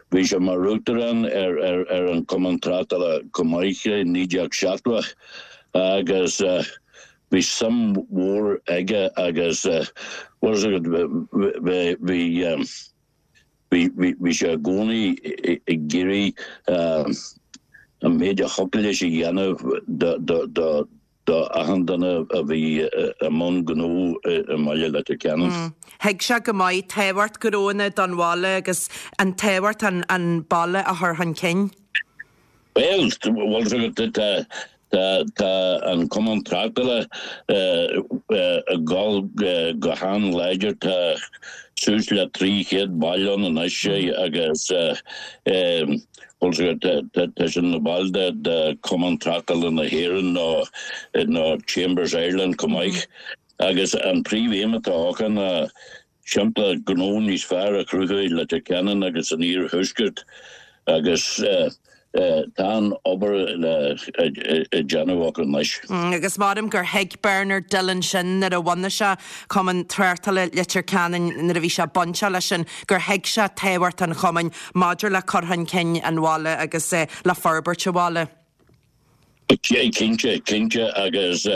bhí sé mar uachtarán ar, ar, ar an Chumann Tráchtála chomh maith i naoi déag seachtó agus bhí suim mhór aige agus, bhuel, bhí, bhí, Bhí sé i gcónaí ag iarraidh an méid a thiocfadh leis a dhéanamh do achan duine a bhí i mbun gnó i mbaile Leitir Ceanainn. Thuig sé go maith tábhacht gnóanna don bhaile agus an tábhacht an baile a chur chun cinn. Bhuel, bhuel, tá tá an Cumann Tráchtála ag dul go han-láidir, tá suas le trí chéad ball ann anois agus bhuel, tá siad ina bhaill de Chumann Tráchtála na hÉireann nó nó Chambers Ireland chomh maith agus an príomhaidhm atá acu ná timpeallacht gnó níos fearr a chruthú i Leitir Ceanainn agus san Iarthuaisceart agus tá an obair le déanamh acu anois. Agus maram gur thuig Bernard Dillon sin nuair a bhunaigh sé Cumann Tráchtála Leitir Ceanainn, nuair a bhí sé bainteach leis sin, gur thuig sé tábhacht an chumainn maidir le cur chun cinn an bhaile agus le forbairt an bhaile. Cinnte, cinnte agus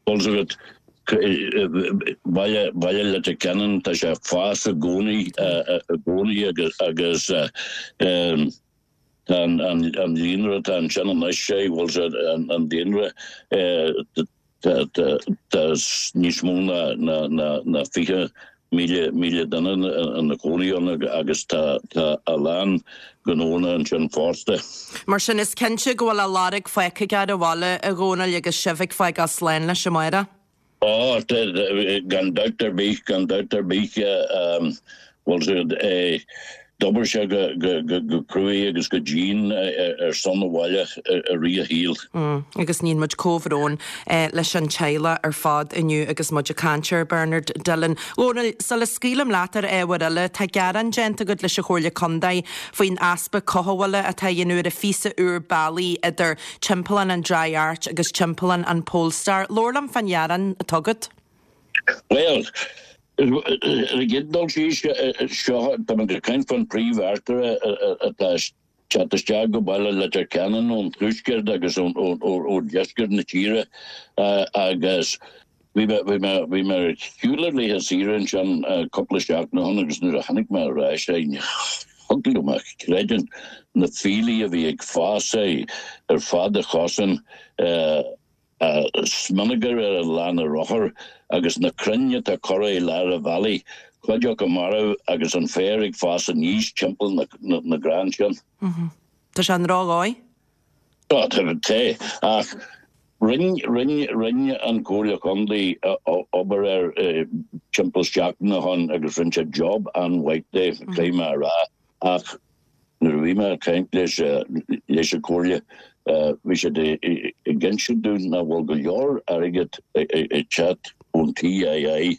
bhuel baile baile Leitir Ceanainn tá sé ag fás i gcónaí i gcónaí agus agus tá an an an líonra atá ansin anois sé bhfuil sé an an daonra tá tá tá níos mó ná ná ná ná fiche míle míle duine ina gcónaí ann agus tá tá a lán gnónna ansin fosta. Mar sin, is cinnte go bhfuil a lorg fágtha aige ar an bhaile, a Dhónaill, agus sibh ag fágáil slán leis amárach. Ó, tá, gan dabht ar bith, gan dabht ar bith, bhuel, D'obair sé go cruaidh agus go dian ar son an bhaile i rith a shaoil. Agus níonn muid comhbhrón leis an teaghlach ar fad inniu agus muid ag caint ar Bernard Dillon. Dhónaill, sula scaoilim leat ar ábhar eile, tá gearán déanta agat leis an Chomhairle Contae faoin easpa cothabhála atá á dhéanamh ar an phíosa úr bealaigh idir Timpeallán an Dry Arch agus Timpeallán an Polestar. Labhair liom fán ghearán atá agat. Bhuel, ar an gcéad dul síos, seo, tá muid ag caint faoin príomh-artaire atá ag teacht isteach go baile Leitir Ceanainn ón tuaisceart agus ó dheisceart na tíre agus bhí mé, bhí mé, bhí mé ar shiúl ar laetha saoire ansin cúpla seachtain ó shin agus nuair a tháinig mé ar ais, thig liom a chreidiúint na fiailí a bhí ag fás ar fad an chosáin, smionagar ar an lána rothar agus na crainn atá curtha i lár an bhealaigh, cuid acu marbh agus an féar ag fás aníos timpeall na gcrann sin. Tá sé an ródhóigh? Tá, tá, ach rinne, rinne, rinne an Chomhairle Chontae obair air timpeall seachtain ó shin agus rinne siad job an-mhaith de, caithfidh mé a rá, ach Nuair a bhí mé ag caint leis leis an Chomhairle, bhí siad ag insint dúinn nach bhfuil go leor airgead ag teacht ón TII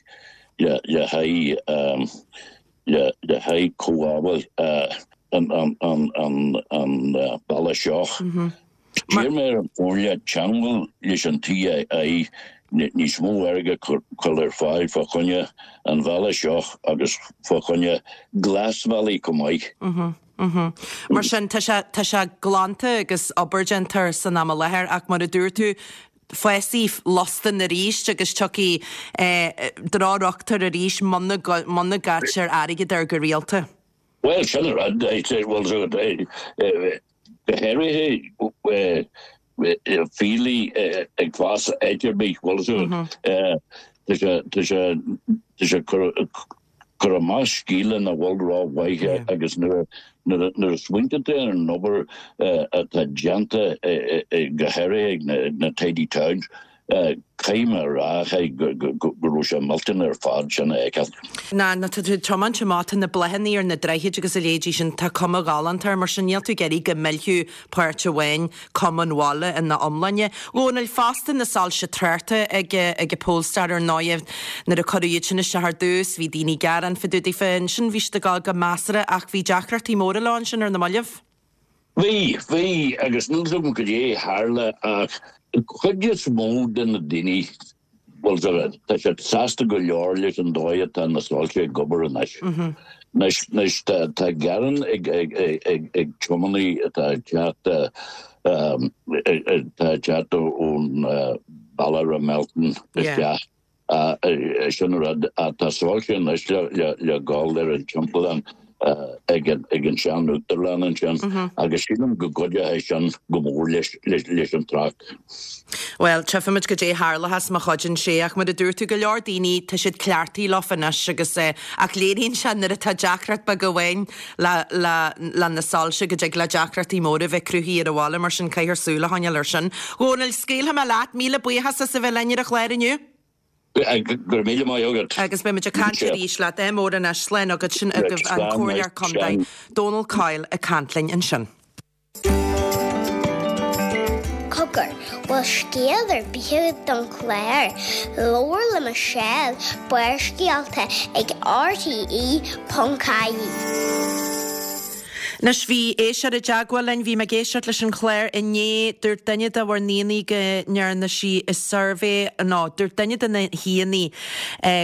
le le haghaidh le le haghaidh cothabháil an an an an an bealach seo. D'iarr mé ar an Chomhairle teangmháil leis an TII níos mó airgead a chur ar fáil fá choinne an bhealaigh seo agus fá choinne glasbhealaí chomh maith. Mar sin, tá sé, tá sé glanta agus obair déanta air san am i láthair ach mar a dúirt tú, fásfaidh lustan arís agus tiocfaidh drochthionchar arís muna, muna gcaitear airgead air go rialta. Bhuel, sin an rud, go háirithe fiailí ag fás áit ar bith, bhfuil a fhios agat, tá sé, tá sé cur amach scéala nach bhfuil rómhaith agus nuair a smaointíonn tú ar an obair atá déanta go háirithe ag na Tidy Towns, Caithfidh mé a rá go raibh sé millteanach ar fad sin a fheiceáil. Ná, ná tá tú ag tiomáint amach, tá na bláthanna ar na droichid agus a leithéidí sin, tá cuma ghalánta air, mar sin níl tú ag iarraidh go millfeadh páirt amháin cuma an bhaile ina iomláine. Dhónaill, fosta na soilse tráchta ag ag an Polestar ar ndóigh, nuair a cuireadh iad sin isteach ar dtús, bhí daoine ag gearán fá dtaobh daofa, ansin bhí siad ag dul go measartha ach bhí deacrachtaí móra leo ansin ar na mallaibh. Bhí, bhí, agus níl 's agam cad é a tharla ach an chuid is mó de na daoine, bhuel, tá siad sásta go leor leis an dóigh atá na soilse ag obair anois. Anois, anois tá, tá gearán ag, ag, ag, ag tiománaí atá ag teacht, atá ag teacht ón bealach Rathmelton isteach. Sin an rud. Tá soilse anois le gabháil ar an timpeallán ag an sean-uachtarlann ansin agus sílim go gcuideoidh sin go mór leis an trácht. Bhuel, tchífimid cad é a tharlóchas má chuidíonn sé ach mar a dúirt tú, go leor daoine, tá siad cleachtaithe leofa anois agus ach léiríonn sé nuair atá deacracht beag amháin le le na soilse go dtig le deacrachtaí móra bheith cruthaithe ar an bhaile mar sin caithfear súil a choinneáil air sin. Dhónaill, scaoilfidh mé leat, míle buíochas as a bheith linn ar an chlár inniu. Go raibh míle maith agat. Agus beidh muid ag caint arís leat. Ádh mór anois. Slán agat. Sin agaibh an Comhairleoir Contae, Dónal Coyle ag caint linn ansin. Cogar, bhfuil scéal ar bith agat don chlár? Labhair le Michelle, Barrscéalta ag rte ponc ie. Anois, bhí éisteoir i dteagmháil linn, bhí mé ag éisteacht leis an chlár inné, dúirt duine de bhur n-aíonna go ndearna sí i suirbhé, nó dúirt duine de na haíonna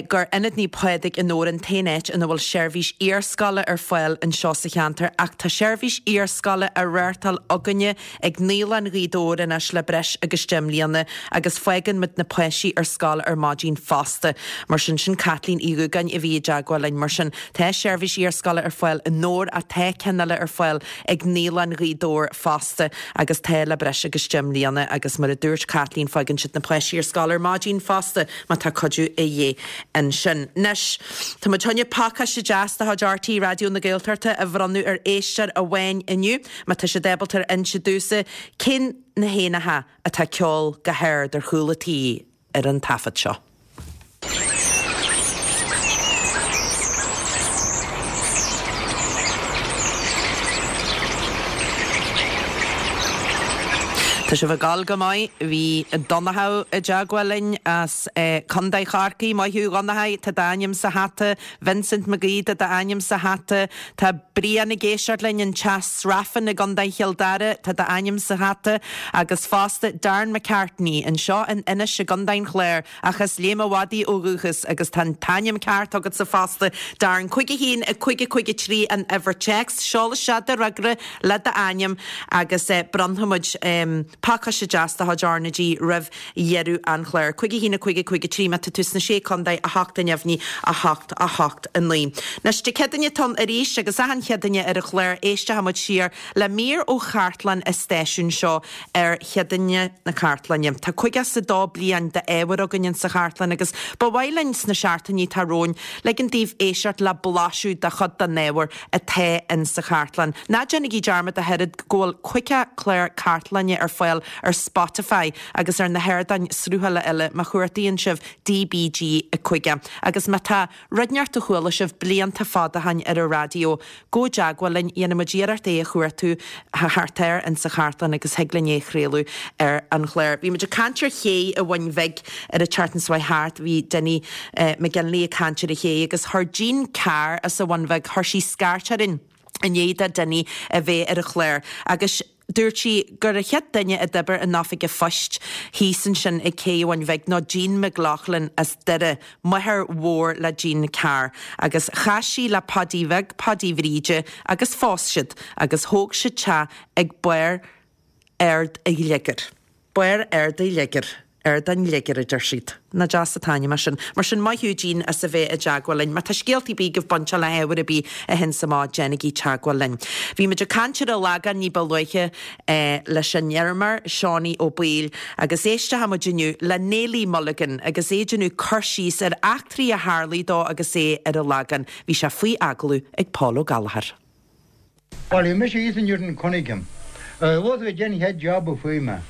gur Ionad Naomh Pádraig i nDobhar an t-aon áit ina bhfuil seirbhís iarscoile ar fáil anseo sa cheantar ach tá seirbhís iarscoile á reáchtáil againne ag Naíolann Ghaoth Dobhair anois le breis agus deich mbliana agus fágann muid na páistí ar scoil ar maidin fosta. Mar sin, sin Caitlín Uí Dhúgáin a bhí i dteagmháil linn. Mar sin, tá seirbhís iarscoile ar fáil i nDobhar ach tá ceann eile ar fáil ag Naíolann Ghaoth Dobhair fosta agus tá le breis agus deich mbliana agus mar a dúirt Caitlín fágann siad na páistí ar scoil ar maidin fosta má tá cuidiú a dhíth ansin. Anois, tá muid chun pacáiste deas de chuid RTÉ Raidió na Gaeltachta a bhronnadh ar éisteoir amháin inniu má tá siad ábalta a inse domhsa cén na héanacha atá ag ceol go hard ar chúl a tí ar an taifead seo. Tá sibh ag gabháil go maith. Bhí Donnchadh i dteagmháil linn as Contae Chorcaí. Maith thú, a Dhonncha, tá d'ainm sa hata. Vincent McGee, tá d'ainm sa hata. Tá Brian ag éisteacht linn in Teach Srafan i gContae Chill Dara, tá d'ainm sa hata. Agus fosta Darren McCartney anseo in Inis i gContae an Chláir, ach as Léim a' Mhadaidh ó dhúchas agus tá an t-ainm ceart agatsa fosta. Darren, cúig a haon, a cúig a cúig a trí an uimhir téacs. Seol isteach do fhreagra le d'ainm agus bronnfaidh muid pacáiste deas de chuid R na G roimh dheireadh an chláir. Cúig a haon a cúig a cúig a trí má tá tú sna Sé Contae, a hocht a neamhní, a hocht a hocht a naoi. Anois Dé Céadaoine atá ann arís agus achan Chéadaoine ar an chlár éistfidh muid siar le mír ó chartlann an stáisiúin seo ar Chéadaoine na Cartlainne. Tá caoga is a dó bliain d'ábhar againn insa chartlann agus ba mhaith linn sna seachtainí atá romhainn ligean daoibh éisteacht le blaiseadh de chuid den ábhar atá insa chartlann. Ná déanaigí dearmad ach oiread go bhfuil caoga clár cartlainne ar fáil ar Spotify agus ar na hardáin sruthála eile má chuartaíonn sibh DBG caoga. Agus má tá rud inteacht a chuala sibh blianta fada ó shin ar an raidió, gabh i dteagmháil linn, dhéanfaidh muid iarracht é a chuartú thart air insa chartlann agus thig linn é a chraoladh ar an chlár. Bhí muid ag caint ar ché an Bhun Bhig ar an tseachtain seo thart, bhí Dinny McGinley ag caint ar an ché agus chuir Jean Carr as an Bhun Bhig, chuir sí scairt orainn i ndiaidh do Dinny a bheith ar an chlár agus dúirt sí gur an chéad duine a d'oibir in oifig an phoist thíos ansin ag Cé an Bhain Bhig ná Jean McLaughlin as Doire, máthair mhór le Jean Carr. Agus chas sí le Paidí Bheag Paidí Bhríde agus phós siad agus thóg siad teach ag barr Ard a' Ghliogair. Barr Ard a' Ghliogair. Ard an Ghliogair, a deir siad. Nach deas an t-ainm é sin. Mar sin, maith thú Jean as a bheith i dteagmháil linn. Má tá scéalta ar bith agaibh bainteach le hábhar ar bith a théanns amach, déanaigí teagmháil linn. Bhí muid ag caint ar an Lagán ní ba luaithe leis an fheirmeoir, Seánie Ó Baoill, agus éistfidh muid inniu le Neilí Mulligan agus é ag déanamh cur síos ar eachtraí a tharlaigh dó agus é ar an Lagán. Bhí sé faoi agallamh ag Paul Ó Gallchóir. Bhuel, bhí mise thíos in Newton Cunningham. Bhuel, bhí den chéad job a fuair mé.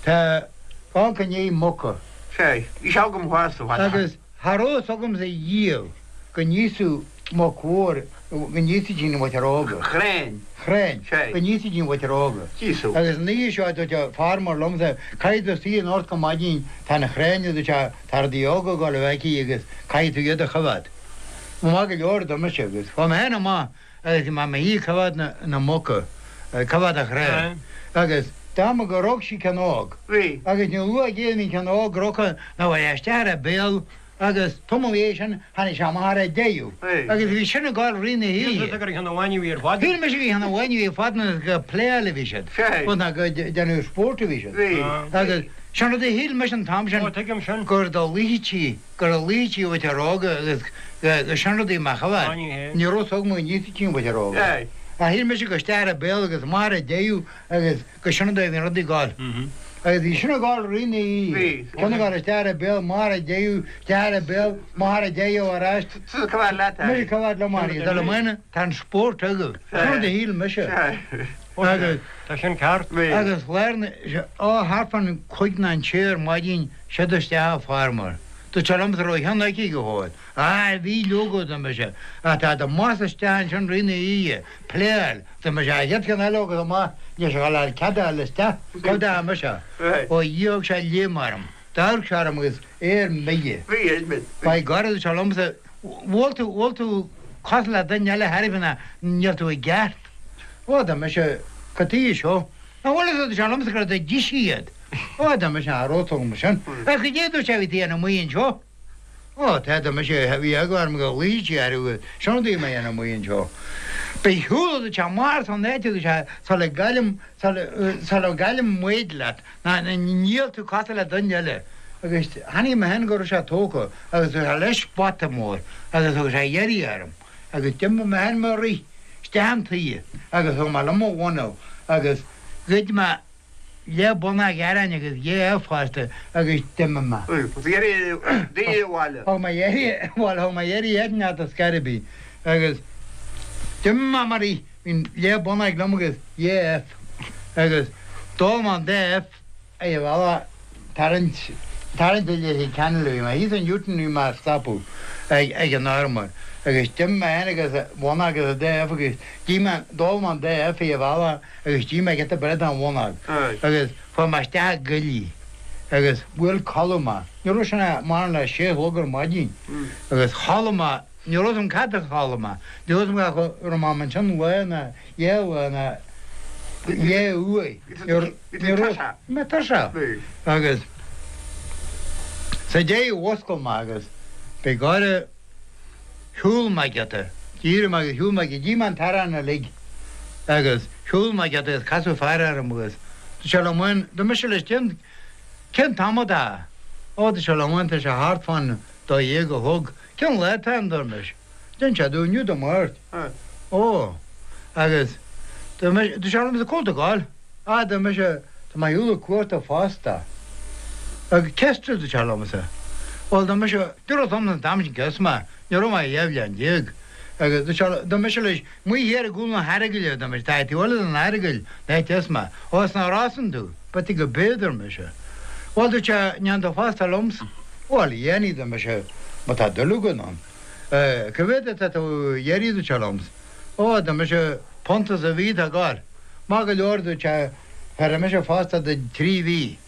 Tá dhá gné muca. Sea, bhí sé agam thuas sa bhaile. Agus cha raibh fhios agamsa riamh go n-íosfadh muc mhór, go n-íosfaidís na muic óga. Chrainn. Chrainn. Sea. Go n-íosfaidís na muic óga. D'íosfadh. Agus an oíche seo dúirt an farmer liomsa, caithfidh tú suí anocht go maidin, tá na chrainn, a dúirt sé, tá rudaí óga ag dul a bheith aici agus caithfidh tú iad a choimhéad. Maith go leor, dar mise, agus chuaigh mé féin amach agus bhí mé i mo shuí ag coimhéad na, na muca, ag coimhéad an chrainn. Agus dá mba gur rug sí ceann óg. Bhí. Agus ní luath a bhí an ceann óg rugtha ná bhí isteach ar a béal agus tamall ina dhiaidh sin tháinig sé amach ar a deireadh. Bhí. Agus bhí sin ag gabháil rith na hoíche. Shíl gur cheann amháin a bhí ar fad. Shíl mise gur cheann amháin a bhí ar fad nó gur pléáil a bhí siad. Sea. Bhuel ná go déanamh spóirt a bhí siad. Bhí. Agus sin rud a shíl mise an t-am sin. Ó, tuigim sin. Gur do luífidh gur a luífidh uait ar óga agus go sin rudaí amach a bheith. Ní hé. Ní raibh fhios agam go n-íosfaidís an mhuintir óga. Sea. Ach shíl mise go isteach ar a béal agus amach ar a deireadh agus go sin an dóigh a bhí an rud ag gabháil. Agus bhí sin ag gabháil rith na hoíche. Bhí. Ceann ag gabháil isteach ar a béal, amach ar a deireadh, isteach ar a béal, amach ar a deireadh ar ais. Tusa coimhéad leat é. Mise coimhéad liom ar dul i mbun, tá an spórt agaibh. Sin rud a shíl mise. Sea. Agus. Tá sin ceart. Bhí. Agus lár na, ó thart fán cúig nó an sé ar maidin, siad isteach an farmer. Dúirt sé liom go raibh a cheann aici go fóill. Á, bhí leoga, dar mise. Ach tá do mhas isteach ansin rith na hoíche, pléáil. Dar mise, an chéad cheann eile agus amach, níl sé ag dul cead a fháil isteach. Cá dteachaigh mise? Ó Dhia thug sé léim orm. D'amharc sé orm agus é ar mire. Bhí, bhí. By God, dúirt sé liomsa, bhfuil tú, bhfuil tú cosúil le duine eile thairbhe ná níl tú i gceart. Ó, dar mise, cad tuige seo? An bhfuil fhios agat, dúirt sé liomsa gur do d'ith sí iad. Ó, dar mise, cha raibh tú mar sin. Ach cad é, dúirt sé, a bhí tú a dhéanamh amuigh anseo? Ó, tá, dar mise, bhí eagla orm go luífeadh sí orthu, sin rud a bhí mé a dhéanamh amuigh anseo. Ba shiúl, dúirt sé, amach as an áit, dúirt sé, sula gcaillim, sula gcaillim m'fhoighid leat, ná níl tú cosúil le duine eile. Agus chonaic mé féin go raibh sé tógtha agus thug sé leis bata mór agus thug sé iarraidh orm agus d'imigh mé féin mo rith isteach an tuí agus thug mé liom mo mhuineál agus ghoid mé leath bonnóg aráin agus dhá ubh fosta agus d'imigh mé. Thug Thug mé iarraidh, bhuel thug mé iarraidh air neart ar scor ar bith agus d'imigh mé mar í, bhí leath bonnóg liom agus dhá ubh agus d'ól mé an dá ubh ar an bhealach tarraingt, tarraingt i Leitir Ceanainn, bhí mé thíos in Newton bhí mé ag stopadh ag an armar. Agus d'imigh mé féin agus bhunóg agus an dá uibh agus d'ith mé, d'ól mé an dá uibh ar an bhealach agus d'ith mé giota bread den bhunóg. Agus fuair mé isteach i gcoillidh agus bhuail codladh mé. Ní raibh sin ach maraon le sé a chlog ar maidin. Agus chodlaigh mé, ní raibh fhios a'm cad a chodlaigh mé, ní raibh fhios a'm go raibh mé ansin lá ná dhá lá ná dhá uair. Ní raibh mé tuirseach. Agus sa deireadh mhuscail mé agus b'é gáire Shiúil mé giota, d'éirigh mé agus shiúil mé go dtí an t-arán uilig agus shiúil mé giota agus casadh fear orm agus dúirt sé liom bhuel, dúirt mise leis cén, cén t-am atá? Ó, dúirt sé liom bhuel, tá sé thart fán dó dhéag a chlog. Cén lá atá ann, dúirt mise. D'inis sé domh, inniu Dé Máirt. Ó, agus dúirt mise, dúirt sé liom, cá bhfuil tú ag gabháil? Á, dúirt mise, tá mé ar shiúl ag cuartú fosta. Agus cé as tú, dúirt sé liomsa. Bhuel, dúirt mise, ní raibh fhios a'm an t-am sin cé as mé, ní raibh mé ach dhá bhliain déag. Agus dúirt sé, dúirt mise leis, amuigh thiar i gcúl na hEaragaile, dúirt mise, tá taobh eile den Earagail, an áit as mé. Ó, as na Rosann tú? B'fhéidir go b'ea, dúirt mise. Bhuel, dúirt sé, an ndéanfaidh tú fosta liomsa? Bhuel, dhéanfainn, dúirt mise, má tá dul agat ann. Cá mhéad atá tú a iarraidh, dúirt sé liomsa. Ó, dúirt mise, punt sa mhí atá ag gabháil. Maith go leor, dúirt sé, bhéarfaidh mise fosta duit trí mhí.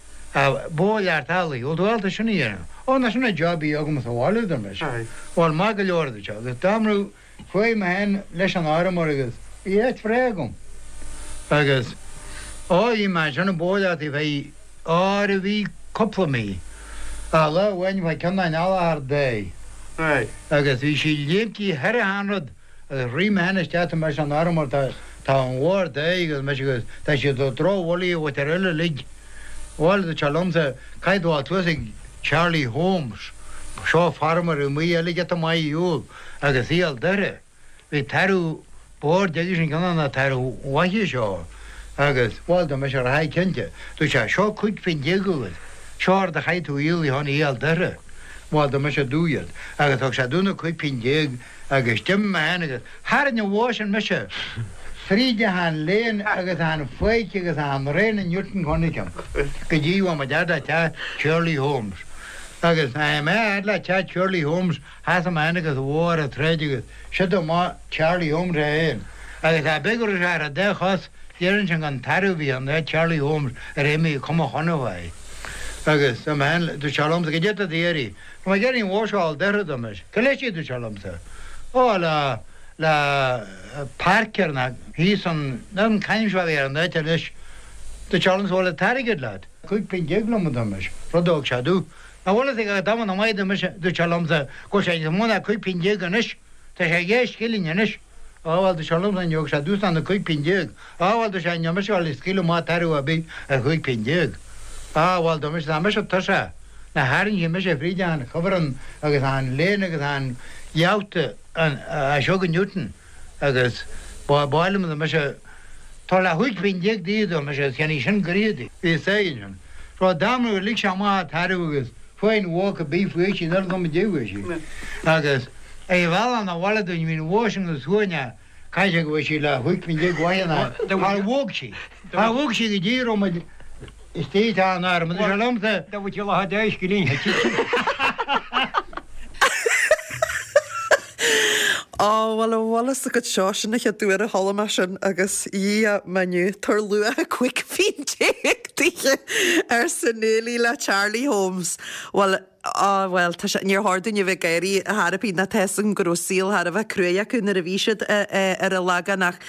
Bó lear teaghlaigh, bhfuil tú ábalta sin a dhéanamh? Ó, nach sin an job a bhí agam sa bhaile, a dúirt mise. Bhuel, maith go leor, a dúirt sé, agus dá mbrú, chuaigh mé féin leis an fheirmeoir agus bhí áit bhreá agam. Agus, ó, bhí mé ansin ag bóileachtaí feadh áir a bhí cúpla mí. Ach lá amháin bhí ceann den eallach ar dóigh. Agus bhí sí léimtí thar achan rud agus rith mé féin isteach tá mise an fheirmeoir, tá, tá an bhó ar dóigh agus mise agus tá siad ag drochbholaí a bhfuil ar uilig. Bhuel, dúirt sé liomsa, caithfidh tú a dhul suas ag Charlie Holmes, seo feirmeoir amuigh eile giota maith ar shiúl agus í al Doire. Bhí tarbh boird aige sin ceann de na tairbh mhaithe seo agus, bhuel, dá mbeadh sé ar a haghaidh cinnte. Dúirt sé, seo cúig phingin déag agat, seo rud a chaithfidh tú a dhíol chun í al Doire. Bhuel, dá mbeadh sé dubh iad. Agus thug sé domh na cúig phingin déag agus d'imigh mé féin agus tharraing an bhó sin mise fríd achan lane agus achan pháirc agus achan raon in Newton Cunningham go dtí bhí muid fhad le teach Charlie Holmes. Agus nuair a bhí mé fhad le teach Charlie Holmes sheasaigh mé féin agus an bhó ar an tsráid agus siod amach Charlie Holmes é féin. Agus cha bith go raibh sé ar an dá chos déarfainn sin gan tarbh a bhí ann é Charlie Holmes ar imigh cuma chona uaidh. Agus dúirt mé féin, dúirt sé liomsa, goidé atá tú a iarraidh. Tá mé ag iarraidh an bhó seo a fháil daortha dúirt mise. Cé leis í dúirt sé liomsa. Ó le le Parker ná thíos an an c'ainm seo a bhí ar an áit anois. Dúirt sé liomsa bhfuil an t-airgead leat. Cúig pingin déag liom a dúirt mise. Rud a thug sé domh. Nach bhfuil fhios ag dá mba maith dúirt mise, dúirt sé liomsa go bhfuil sé níos mó ná cúig pingin déag anois. Tá sé dhá scilling anois. Á bhuel dúirt sé liomsa ní thug sé domhsa ach na cúig pingin déag. Á bhuel dúirt sé níl mise ag dul ag scaoileadh amach tarbh ar bith ar chúig pingin déag. Á bhuel dúirt mise tá mise tuirseach. Na tharraingfidh mise fríd an chuibhreann agus an lane agus an gheabhta as seo go Newton agus ba mhaith liom dúirt mise tá le chúig pingin déag daoibh dúirt mise is cheannaigh sin gréad í. Bhí a fhios ansin. Seo dá mbrú lig sé amach an tarbh agus fuair an bhó cibé faoi sí níl go dtí bhfuair sí. Agus ar bhealach na bhaile dúinn bhí an bhó sin go suaimhneach caithfidh sé go bhfuair sí le chúig pingin déag uaithe ná char bhog sí. Char bhog sí go dtí go raibh muid istigh i dteach an airm. Dúirt sé liomsa. Dá bhfuil sí lá deis go líon. Á, bhuel, an bhfuil fhios agat seo, sin an chéad uair a chuala mé sin agus Dhia m'inniu, tabhair luach cúig phingin déag daoithe, arsa Neilí le Charlie Holmes. Bhuel, á, bhuel, tá sé, níor chóir dúinn a bheith ag gáirí ar chor ar bith ná tá fhios agam go raibh saol thar a bheith cruaidh acu nuair a bhí siad ar an Lagán ach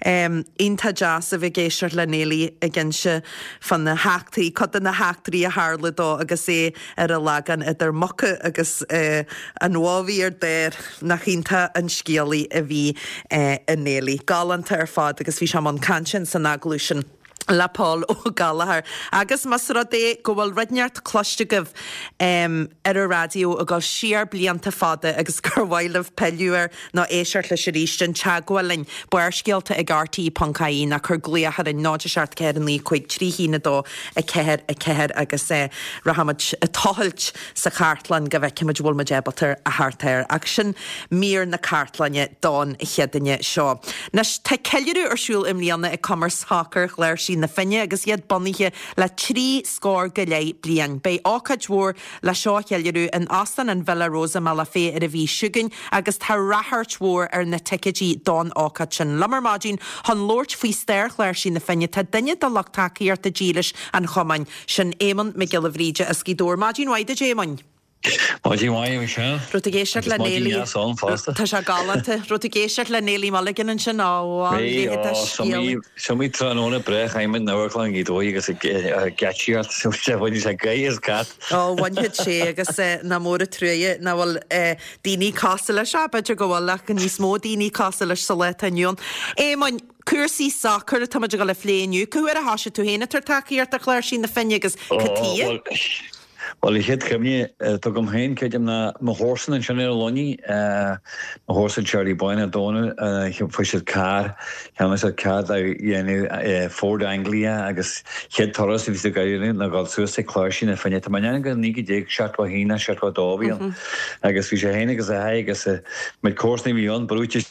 iontach deas a bheith ag éisteacht le Neilí ag inse fá na heachtraí, cuid de na heachtraí a tharla dó agus é ar an Lagán idir muca agus an bhó a bhí ar daor. Nach iontach an scéalaí a bhí i Neilí. Galánta ar fad agus bhí sé i mbun cainte ins an agallamh sin le Paul Ó Gallchóir. Agus más rud é go bhfuil rud inteacht cloiste agaibh ar an raidió ag dul siar blianta fada agus gur mhaith libh pilleadh air nó éisteacht leis arís, déan teagmháil linn, Barrscéalta ag RTÉ ponc ie nó cuir glaoch orainn, náid a seacht ceathair a naoi cúig trí haon a dó a ceathair a ceathair agus rachaimid ag tochailt sa chartlann go bhfeicfimid an bhfuil muid ábalta a theacht air. Ach sin mír na cartlainne don Chéadaoine seo. Anois tá ceiliúradh ar siúl i mbliana ag Cumann Sacair Chláirsí Chláirsí na Finne agus iad bunaithe le trí scór go leith bliain. Beidh ócáid mhór le seo a cheiliúradh in Óstán an Villa Rosa i mBealach Féich ar an mhí seo chugainn agus tá ráchairt mhór ar na ticéidí don ócáid sin. Liom ar maidin chun labhairt faoi stair Chláirsí na Finne tá duine de lucht tacaíochta dílis an chumainn, sin Éamonn Mac Giolla Bhríde as Gaoth Dobhair. Maidin mhaith duit Éamoinn. Maidin mhaith Michelle. Raibh tú ag éisteacht le Neilí. Tá sé galánta. Raibh tú ag éisteacht le Neilí Mulligan ansin á Is iomaí tráthnóna breá a chaith muid in Amharclann Ghaoth Dobhair agus ag geáitsíocht bhain sé gaoth as cat. Ó bhainfeadh sé agus nach mór an truaighe nach bhfuil daoine cosúil leis, b'fhéidir go bhfuil ach níos mó daoine cosúil leis sa lá atá inniu ann. Éamoinn, cúrsaí sacair atá muid ag dul a phlé inniu. Cá huair a thosaigh tú féin ag tabhairt tacaíocht do Chláirsí na Finne agus cad tuige? Bhuel, an chéad chuimhne atá agam féin, creidim, ná mo chomharsan ansin ar an Luinnigh, mo chomharsan Charlie Boyne Ó Dónaill, fuair siad carr, cheannaigh siad carr de dhéanamh Ford Anglia agus chéad turas a bhí siad ag dhéanamh ná dhul suas ag Cláirsí na Finne. Tá mé in ann go naoi déag seachtó a haon nó seachtó a dó a bhí ann agus bhí sé féin agus a athair agus a muid comharsana a bhí ann brúite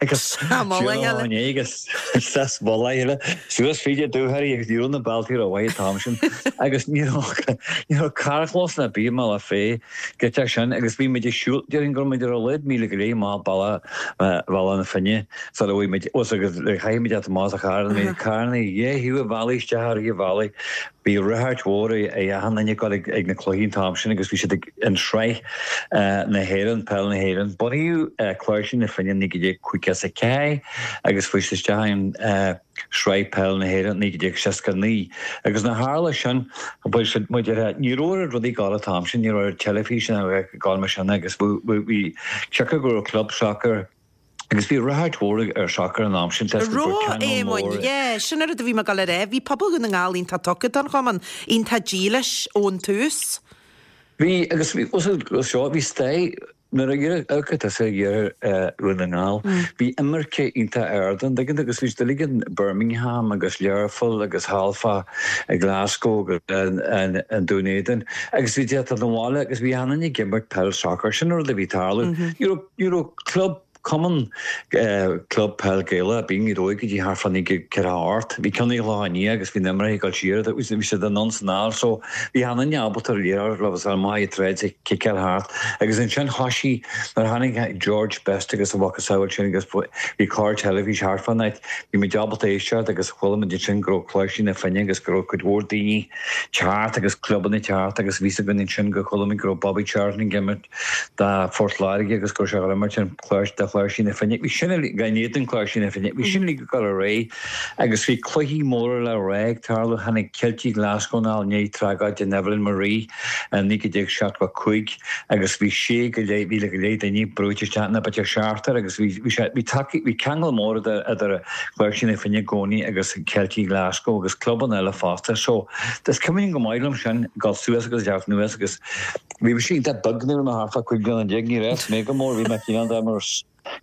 agus agus sas bhoile suas fríd an dúchoraidh agus ní raibh na bealtaí rómhaith an t-am sin agus ní raibh carrchlós ar bith i mBealach Féich go teach sin agus bhí muid ag siúl déarfainn go raibh muid ar a laghad míle go leith amach bealach Bhealach na Finne sula bhfuair muid os agus chaith muid at amach sa charr bhí carranna dhá thaobh an bhealaigh isteach ar an bhealaigh Bhí ráchairt mhór ag achan duine ag dul ag na cluichí an t-am sin agus bhí siad ag an Sraith na hÉireann, Peil na hÉireann. Bunaíodh Cláirsí na Finne naoi déag caoga is a ceathair agus fuair siad isteach in Sraith Peil na hÉireann naoi déag seasca a naoi. Agus nuair a tharla sin, bhuel siad muid ar ní raibh oiread rudaí ag gabháil an t-am sin, ní raibh oiread teilifíse ag gabháil mar sin agus bhí, tiocfadh go raibh club sacair, Agus bhí ráchairt mhór ar sacar an am sin, toisc go raibh ceangal mór. Yeah, sin an rud a bhí mé ag dul a rá. Bhí pobal Dhún na nGall iontach tugtha don chumann, iontach dílis ón tús. Bhí, agus bhí, seo, bhí stair, nuair a amharcann tusa ar iarthar Dhún na nGall, bhí imirce iontach ard ann, tuigeann tú, agus bhí siad uilig in Birmingham agus Learpholl agus thall fá Glasgow agus an Dún Éideann, agus bhí siad ag teacht abhaile agus bhí achan duine ag imirt peil sacair, sin an rud a bhí ag tarlú. Ní raibh, ní raibh club Cumann Club Peil Gaelach ar bith i nGaoth Dobhair go dtí thart fá naoi déag ceathracha a hocht. Bhí ceann i gCloich Cheann Fhaola agus bhí na imreoirí ag dul siar, bhí siad anonn is anall so bhí achan duine ábalta ar liathróid leo agus amach ag troid ag ciceáil thart agus ansin thoisigh nuair a tháinig George Best agus a mhacasamhail sin agus bhí clár teilifís thart fán áit bhí muid ábalta éisteacht agus chuala muid ansin go raibh Cláirsí na Finne agus go raibh cuid mhór daoine teacht agus clubanna teacht agus bhí 's againn ansin go chuala muid go raibh Bobby Charlton ag imirt do Phort Láirge agus go raibh sé ag imirt an Cláir do Chláirsí na Finne. Bhí sin uilig, in éadan Chláirsí na Finne, bhí sin uilig ag dul ar aghaidh agus bhí cluichí móra le rá ag tarlú. Tháinig Ceiltigh Glasgow anall i ndiaidh tragóid in Evelyn Marie i naoi déag seachtó a cúig agus bhí sé go leith, mhíle go leith daoine brúite isteach ina b'fhéidir seachtar agus bhí, bhí sé, bhí tacaí, bhí ceangal mór idir, idir Cláirsí na Finne i gcónaí agus Ceiltigh Glasgow agus clubanna eile fosta. So, is cuimhin go maith liom sin, dul suas agus teacht anuas agus Bhí mise iontach beag nuair a bhí mé thart fá cúig bliana déag, ní raibh mé go mór, bhí mé cineál de mar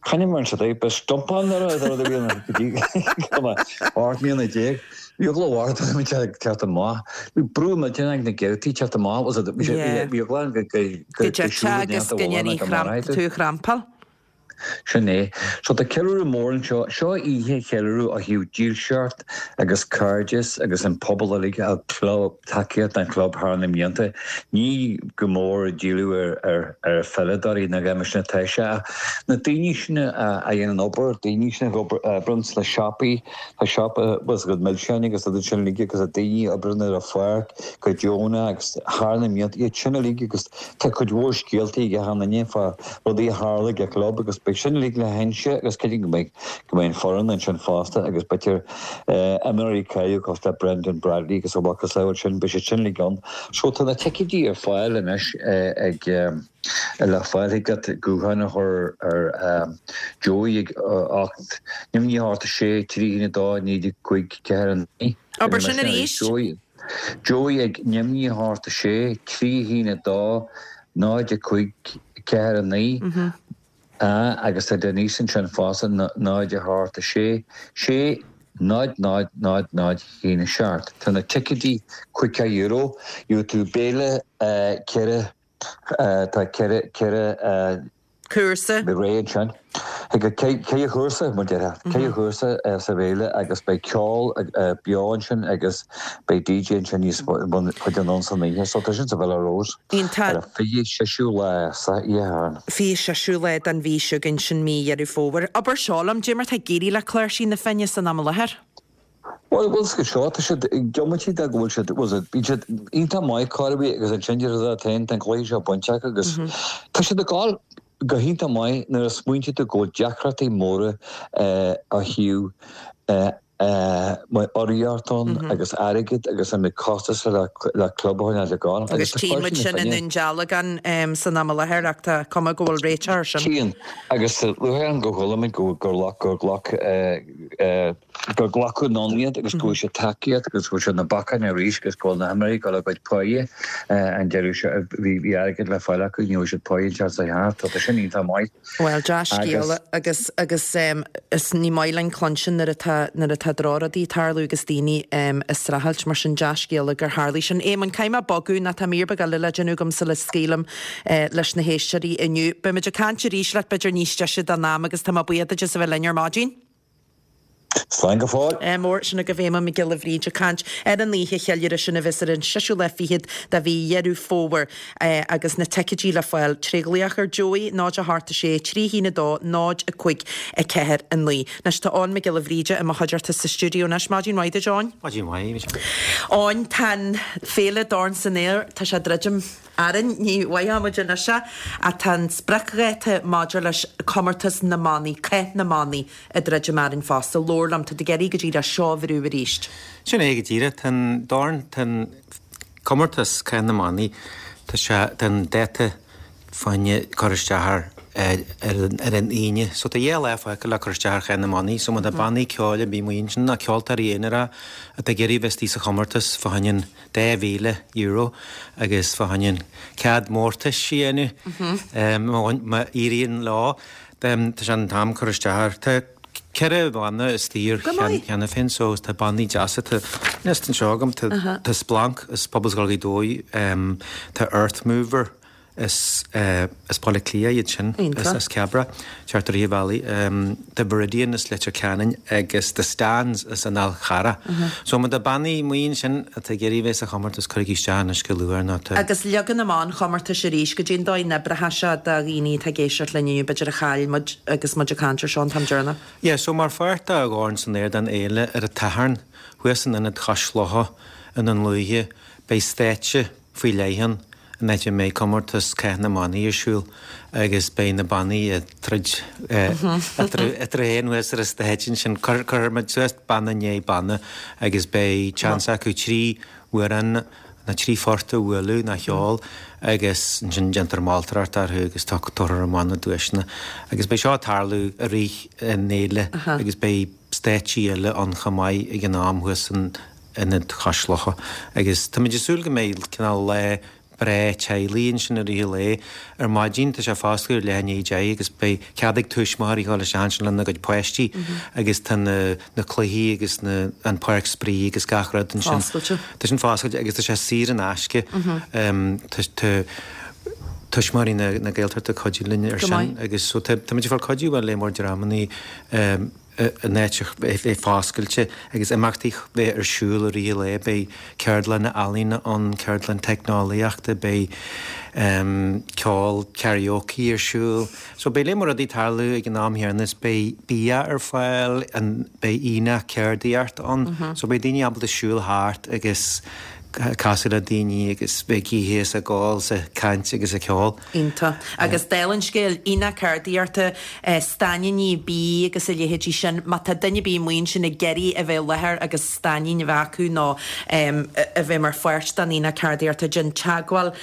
coinne mar sa dtaobh, ba stumpán ar a rud a bhí ann go dtí go mbeadh ocht mbliana déag. Bhí eagla mhór orm ag teacht amach. Bhí brú millteanach ag na geaftaí teacht amach, was it, bhí eagla ann go go Go dtitfeá agus go ndéanfaí tú a thrampáil. Sin é. So tá ceiliúradh mór anseo. Seo oíche cheiliúradh ó thaobh dílseacht agus cairdeas agus an pobal uilig a club, tacaíocht don chlub thar na mblianta. Ní go mór ag díriú ar ar ar pheileadóirí nó mar sin atá sé ach na daoine sin a a dhéanann obair, daoine sin a oibríonn sna siopaí, tá siopa bhfuil a fhios agat milseáin agus iad sin uilig agus na daoine a oibríonn ar an pháirc go deonach agus thar na mblianta iad sin uilig agus Tá cuid mhór scéalta ag achan duine fá rudaí a tharla ag an chlub agus beidh sin uilig le hinse agus cinnte go mbeidh go mbeidh an foireann ansin fosta agus b'fhéidir imreoirí cáiliúla cosúil le Brendan Bradley agus a mhacasamhail sin, beidh siad sin uilig ann. So tá na ticéidí ar fáil anois ag le fáil thig leat guthán a chur ar Joey ag ocht naoi ocht a sé trí haon a dó naoi cúig ceathair a naoi. Abair sin arís. Joey. Joey ag naoi a hocht a sé, trí haon a dó, náid a cúig, ceathair a naoi, a agus tá Denise ansin fosta, náid a hocht a sé, sé, náid náid náid náid haon a seacht. Tá na ticéidí caoga euro, gheobhaidh tú béile ceithre, tá ceithre, ceithre, Cúrsa. Beidh réidh ansin. Ag Cé Chúrsa mar deir Cé Chúrsa sa bhféile agus beidh ceol beo ansin agus beidh DJ ansin níos chuid an san oíche, so tá sin sa Villa Rose. Ar an fiche seisiú lá sa oíche. Fiche seisiú lá den mhí seo againn sin mí Dheireadh Fómhair. Abair seo liom, cad é mar tá ag éirí le Cláirsí na Finne san am i láthair? Bhuel, bhuel, seo seo, tá siad diomaite de go bhfuil siad, bhuel, siad, bíonn siad iontach maith chor ar bith agus ansin deir siad féin, tá an cluiche seo bainte acu agus tá siad ag gabháil go hiontach maith nuair a smaointíonn tú go bhfuil deacrachtaí móra ó thaobh urraíocht ann agus airgead agus an mbeidh costas le le club a choinneáil ag gabháil. Agus tchíonn muid sin i nDún Dealgan san am i láthair ach tá cuma go bhfuil réiteach air sin. Tchíonn agus luaithe an go chuala muid go gur gur ghlac gur glacadh anonn iad agus go bhfuil siad tacaíocht agus go bhfuil siad na bacáin arís agus go bhfuil na himreoirí ag dul a gcuid páighe an deireadh seo bhí bhí airgead le fáil acu ní bhfuil siad páighe an tseachtain seo thart tá sin iontach maith. Bhuel dea-scéala agus agus is ní maith linn cluinstin nuair atá nuair atá drochrudaí ag tarlú agus daoine ag streachailt mar sin dea-scéala gur tharlaigh sin. Éamonn, caithfidh mé bogadh nó tá mír beag eile le déanamh agam sula scaoilim leis na héisteoirí inniu. Beimid ag caint arís leat b'fhéidir níos deise don am agus tá mé buíoch duit as a bheith linn ar maidin. Slán go fóill. Mór sin agaibh Éamonn Mac Giolla Bhríde ag caint ar an oíche cheiliúrtha sin a bheas ar an seisiú lá fichead de mhí Dheireadh Fómhair agus na ticéidí le fáil tré ghlaoch ar Joey, náid a hocht a sé, trí haon a dó, náid a cúig a ceathair a naoi. Anois tá Eoin Mac Giolla Bhríde i mo chuideachta sa stiúideo anois. Maidin mhaith duit, Eoin. Maidin mhaith, Michelle. Eoin, tá an féile Dorn san Aer, tá sé druidim orainn, ní mhaithfidh muid anois é, ach tá an spriocdháta maidir leis comórtas na mbannaí, Cath na mBannaí, ag druidim orainn fosta. Labhair liom, tá tú ag éirí go díreach seo a bhrú arís. Sin é go díreach, tá an dorn, tá an comórtas Cath na mBannaí, tá sé, tá an dáta fá choinne cur isteach air ar an Aoine. So tá dhá lá fágtha le cur isteach ar Chath na mBannaí. So má tá bannaí ceoil ar bith amuigh ansin, nó ceoltóirí aonara atá ag iarraidh bheith istigh sa chomórtas fá choinne an dá mhíle euro agus fá choinne an cead mórtais a dhéanamh má éiríonn leo, tá sé an t-am cur isteach air. Tá ceithre bhanna istigh air cheana féin so tá bannaí deasa, tá liosta anseo agam, tá Splanc as Pobalscoil Ghaoth Dobhair, tá Earthmover, Is as Baile Átha Cliath iad sin, as Cabra, thart ar Uíbh Fhailí, The Viridian as Leitir Ceanainn agus The Stans as an Fhál Charrach. So má tá bannaí amuigh ansin atá ag iarraidh bheith sa chomórtas, cuirigí isteach anois go luath nó tá. Agus leagan amach an chomórtais arís, goidé an dóigh a n-oibreoidh sé do dhaoine atá ag éisteacht linn inniu, b'fhéidir a chaill muid agus muid ag caint ar seo an t-am deireanach? Yeah, so mar pháirt de Dhorn san Aer den fhéile ar an tSatharn, thuas in Ionad Chois Locha i nDún Lúiche, beidh stáitse faoi leith ann. an áit a mbeidh comórtas Cath na mBannaí ar siúl agus beidh na bannaí ag troid eatarthu féin thuas ar an stáitse ansin. Cuirfidh muid suas banna i ndiaidh banna agus beidh seans acu trí amhrán nó trí phort a bhualadh nó a cheol agus ansin déantar moltóireacht orthu agus tabharfar amach na duaiseanna. Agus beidh seo ag tarlú i rith an fhéile agus beidh stáitsí eile ann chomh maith ag an am thuas san Ionad Chois Locha agus táimid ag súil go mbeidh cineál lá breá teaghlaigh ansin i rith an lae. Ar maidin tá sé ar oscailt ar leath i ndiaidh a deich agus beidh cead ag tuismitheoirí dhul isteach ansin lena gcuid páistí agus tá na na cluichí agus na an páirc spraoi agus gach rud ansin. Foscailte. Tá sin foscailte agus tá sé saor in aisce. Tá tá tuismitheoirí na na Gaeltachta ag cuidiú linn ar sin agus so tá táimid ag fáil cuidiú ó lear mór dreamannaí an áit a bheith foscailte agus imeachtaí bheith ar siúl i rith an lae. Beidh ceardlanna ealaíne ann, ceardlann teicneolaíochta, beidh ceol karaoke ar siúl. So beidh lear mór rudaí ag tarlú ag an am chéanna is beidh bia ar fáil, beidh aonach ceardaíochta ann. So beidh daoine ábalta siúl thart agus casadh le daoine agus bheith ag ithe is ag ól is ag caint agus ag ceol. Iontach. Agus dála an scéil, aonach ceardaíochta, stainníní bídh agus a leithéidí sin, má tá duine ar bith amuigh ansin ag iarraidh a bheith i láthair agus stainnín a bheith acu nó a bheith mar pháirt den aonach ceardaíochta, déan teagmháil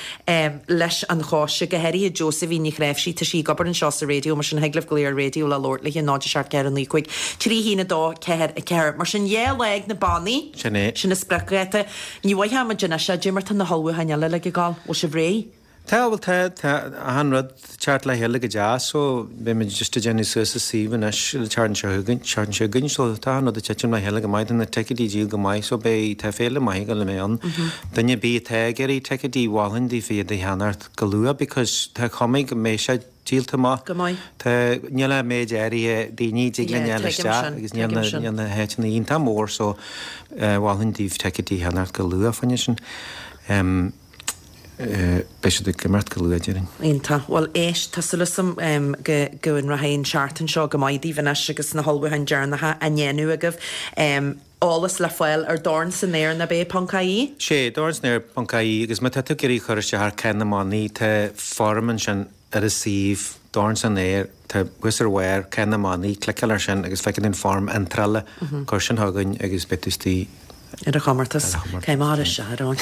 leis an choiste, go háirithe Josephine Ní Chnáimhsí, tá sí ag obair anseo sa raidió, mar sin thig libh glaoch ar raidió le labhairt léi, náid a seacht ceathair naoi cúig trí haon a dó ceathair a ceathair. Mar sin dhá lá ag na bannaí. Sin é. Sin an spriocdháta. Ní mhaithfidh muid anois é, goidé mar tá na hullmhúcháin eile uilig ag gabháil. Bhfuil sibh réidh? Tá bhuel tá tá achan rud ag teacht le chéile go deas so beidh muid just ag déanamh suas an suíomh anois an tseachtain seo chugainn seachtain seo chugainn so tá achan rud ag titim le chéile go maith tá na ticéidí ag díol go maith so beidh tá féile maith ag dul a bheith ann. Duine ar bith atá ag iarraidh ticéidí mholfainn daofa iad a cheannacht go luath because tá cuma go mbeidh sé díolta amach. Go maith. Tá níl ach méid áirithe daoine a dtig linn Yeah fháil tuigim isteach sin agus níl tuigim na sin. níl na háiteanna iontach mór so mholfainn daoibh ticéidí a cheannacht go luath fá choinne sin. Beidh siad ag imeacht go luath, déarfainn. Iontach. Bhuel, éist, tá súil agam go go rachaidh an tseachtain seo go maith daoibh anois agus na hullmhúcháin deireanacha á ndéanamh agaibh. Eolas le fáil ar Dorn san Aer nach b'é ponc ie? Sé, Dorn san Aer ponc ie agus má tá tú ag iarraidh cur isteach ar Cath na mBannaí, tá foirm ansin ar an suíomh, Dorn san Aer, tá thuas ar bharr, Cath na mBannaí, cliceáil air sin agus feicfidh tú an foirm iontrála, cuir sin chugainn agus beidh tú istigh. Ar an chomórtas. Cé mar is ea, Eoin.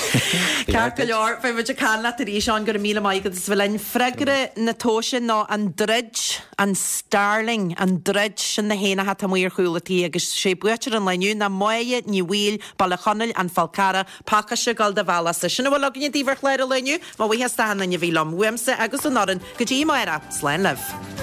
Ceart go leor, beidh muid ag caint leat arís, Eoin, go raibh míle maith agat as bheith linn. Freagra na tomhaise ná an druid, an starling, an druid, sin na héanacha atá amuigh ar chúl an tí agus sé buaiteoir an lae inniu ná Máire Ní Bhaoill, Baile Chonaill, An Fál Carrach, pacáiste ag dul do bhealach-sa. Sin a bhfuil againne daoibh ar chlár an lae inniu. Mo bhuíochas d'achan duine a bhí liom, uaimse agus ón fhoireann, go dtí amárach. Slán libh.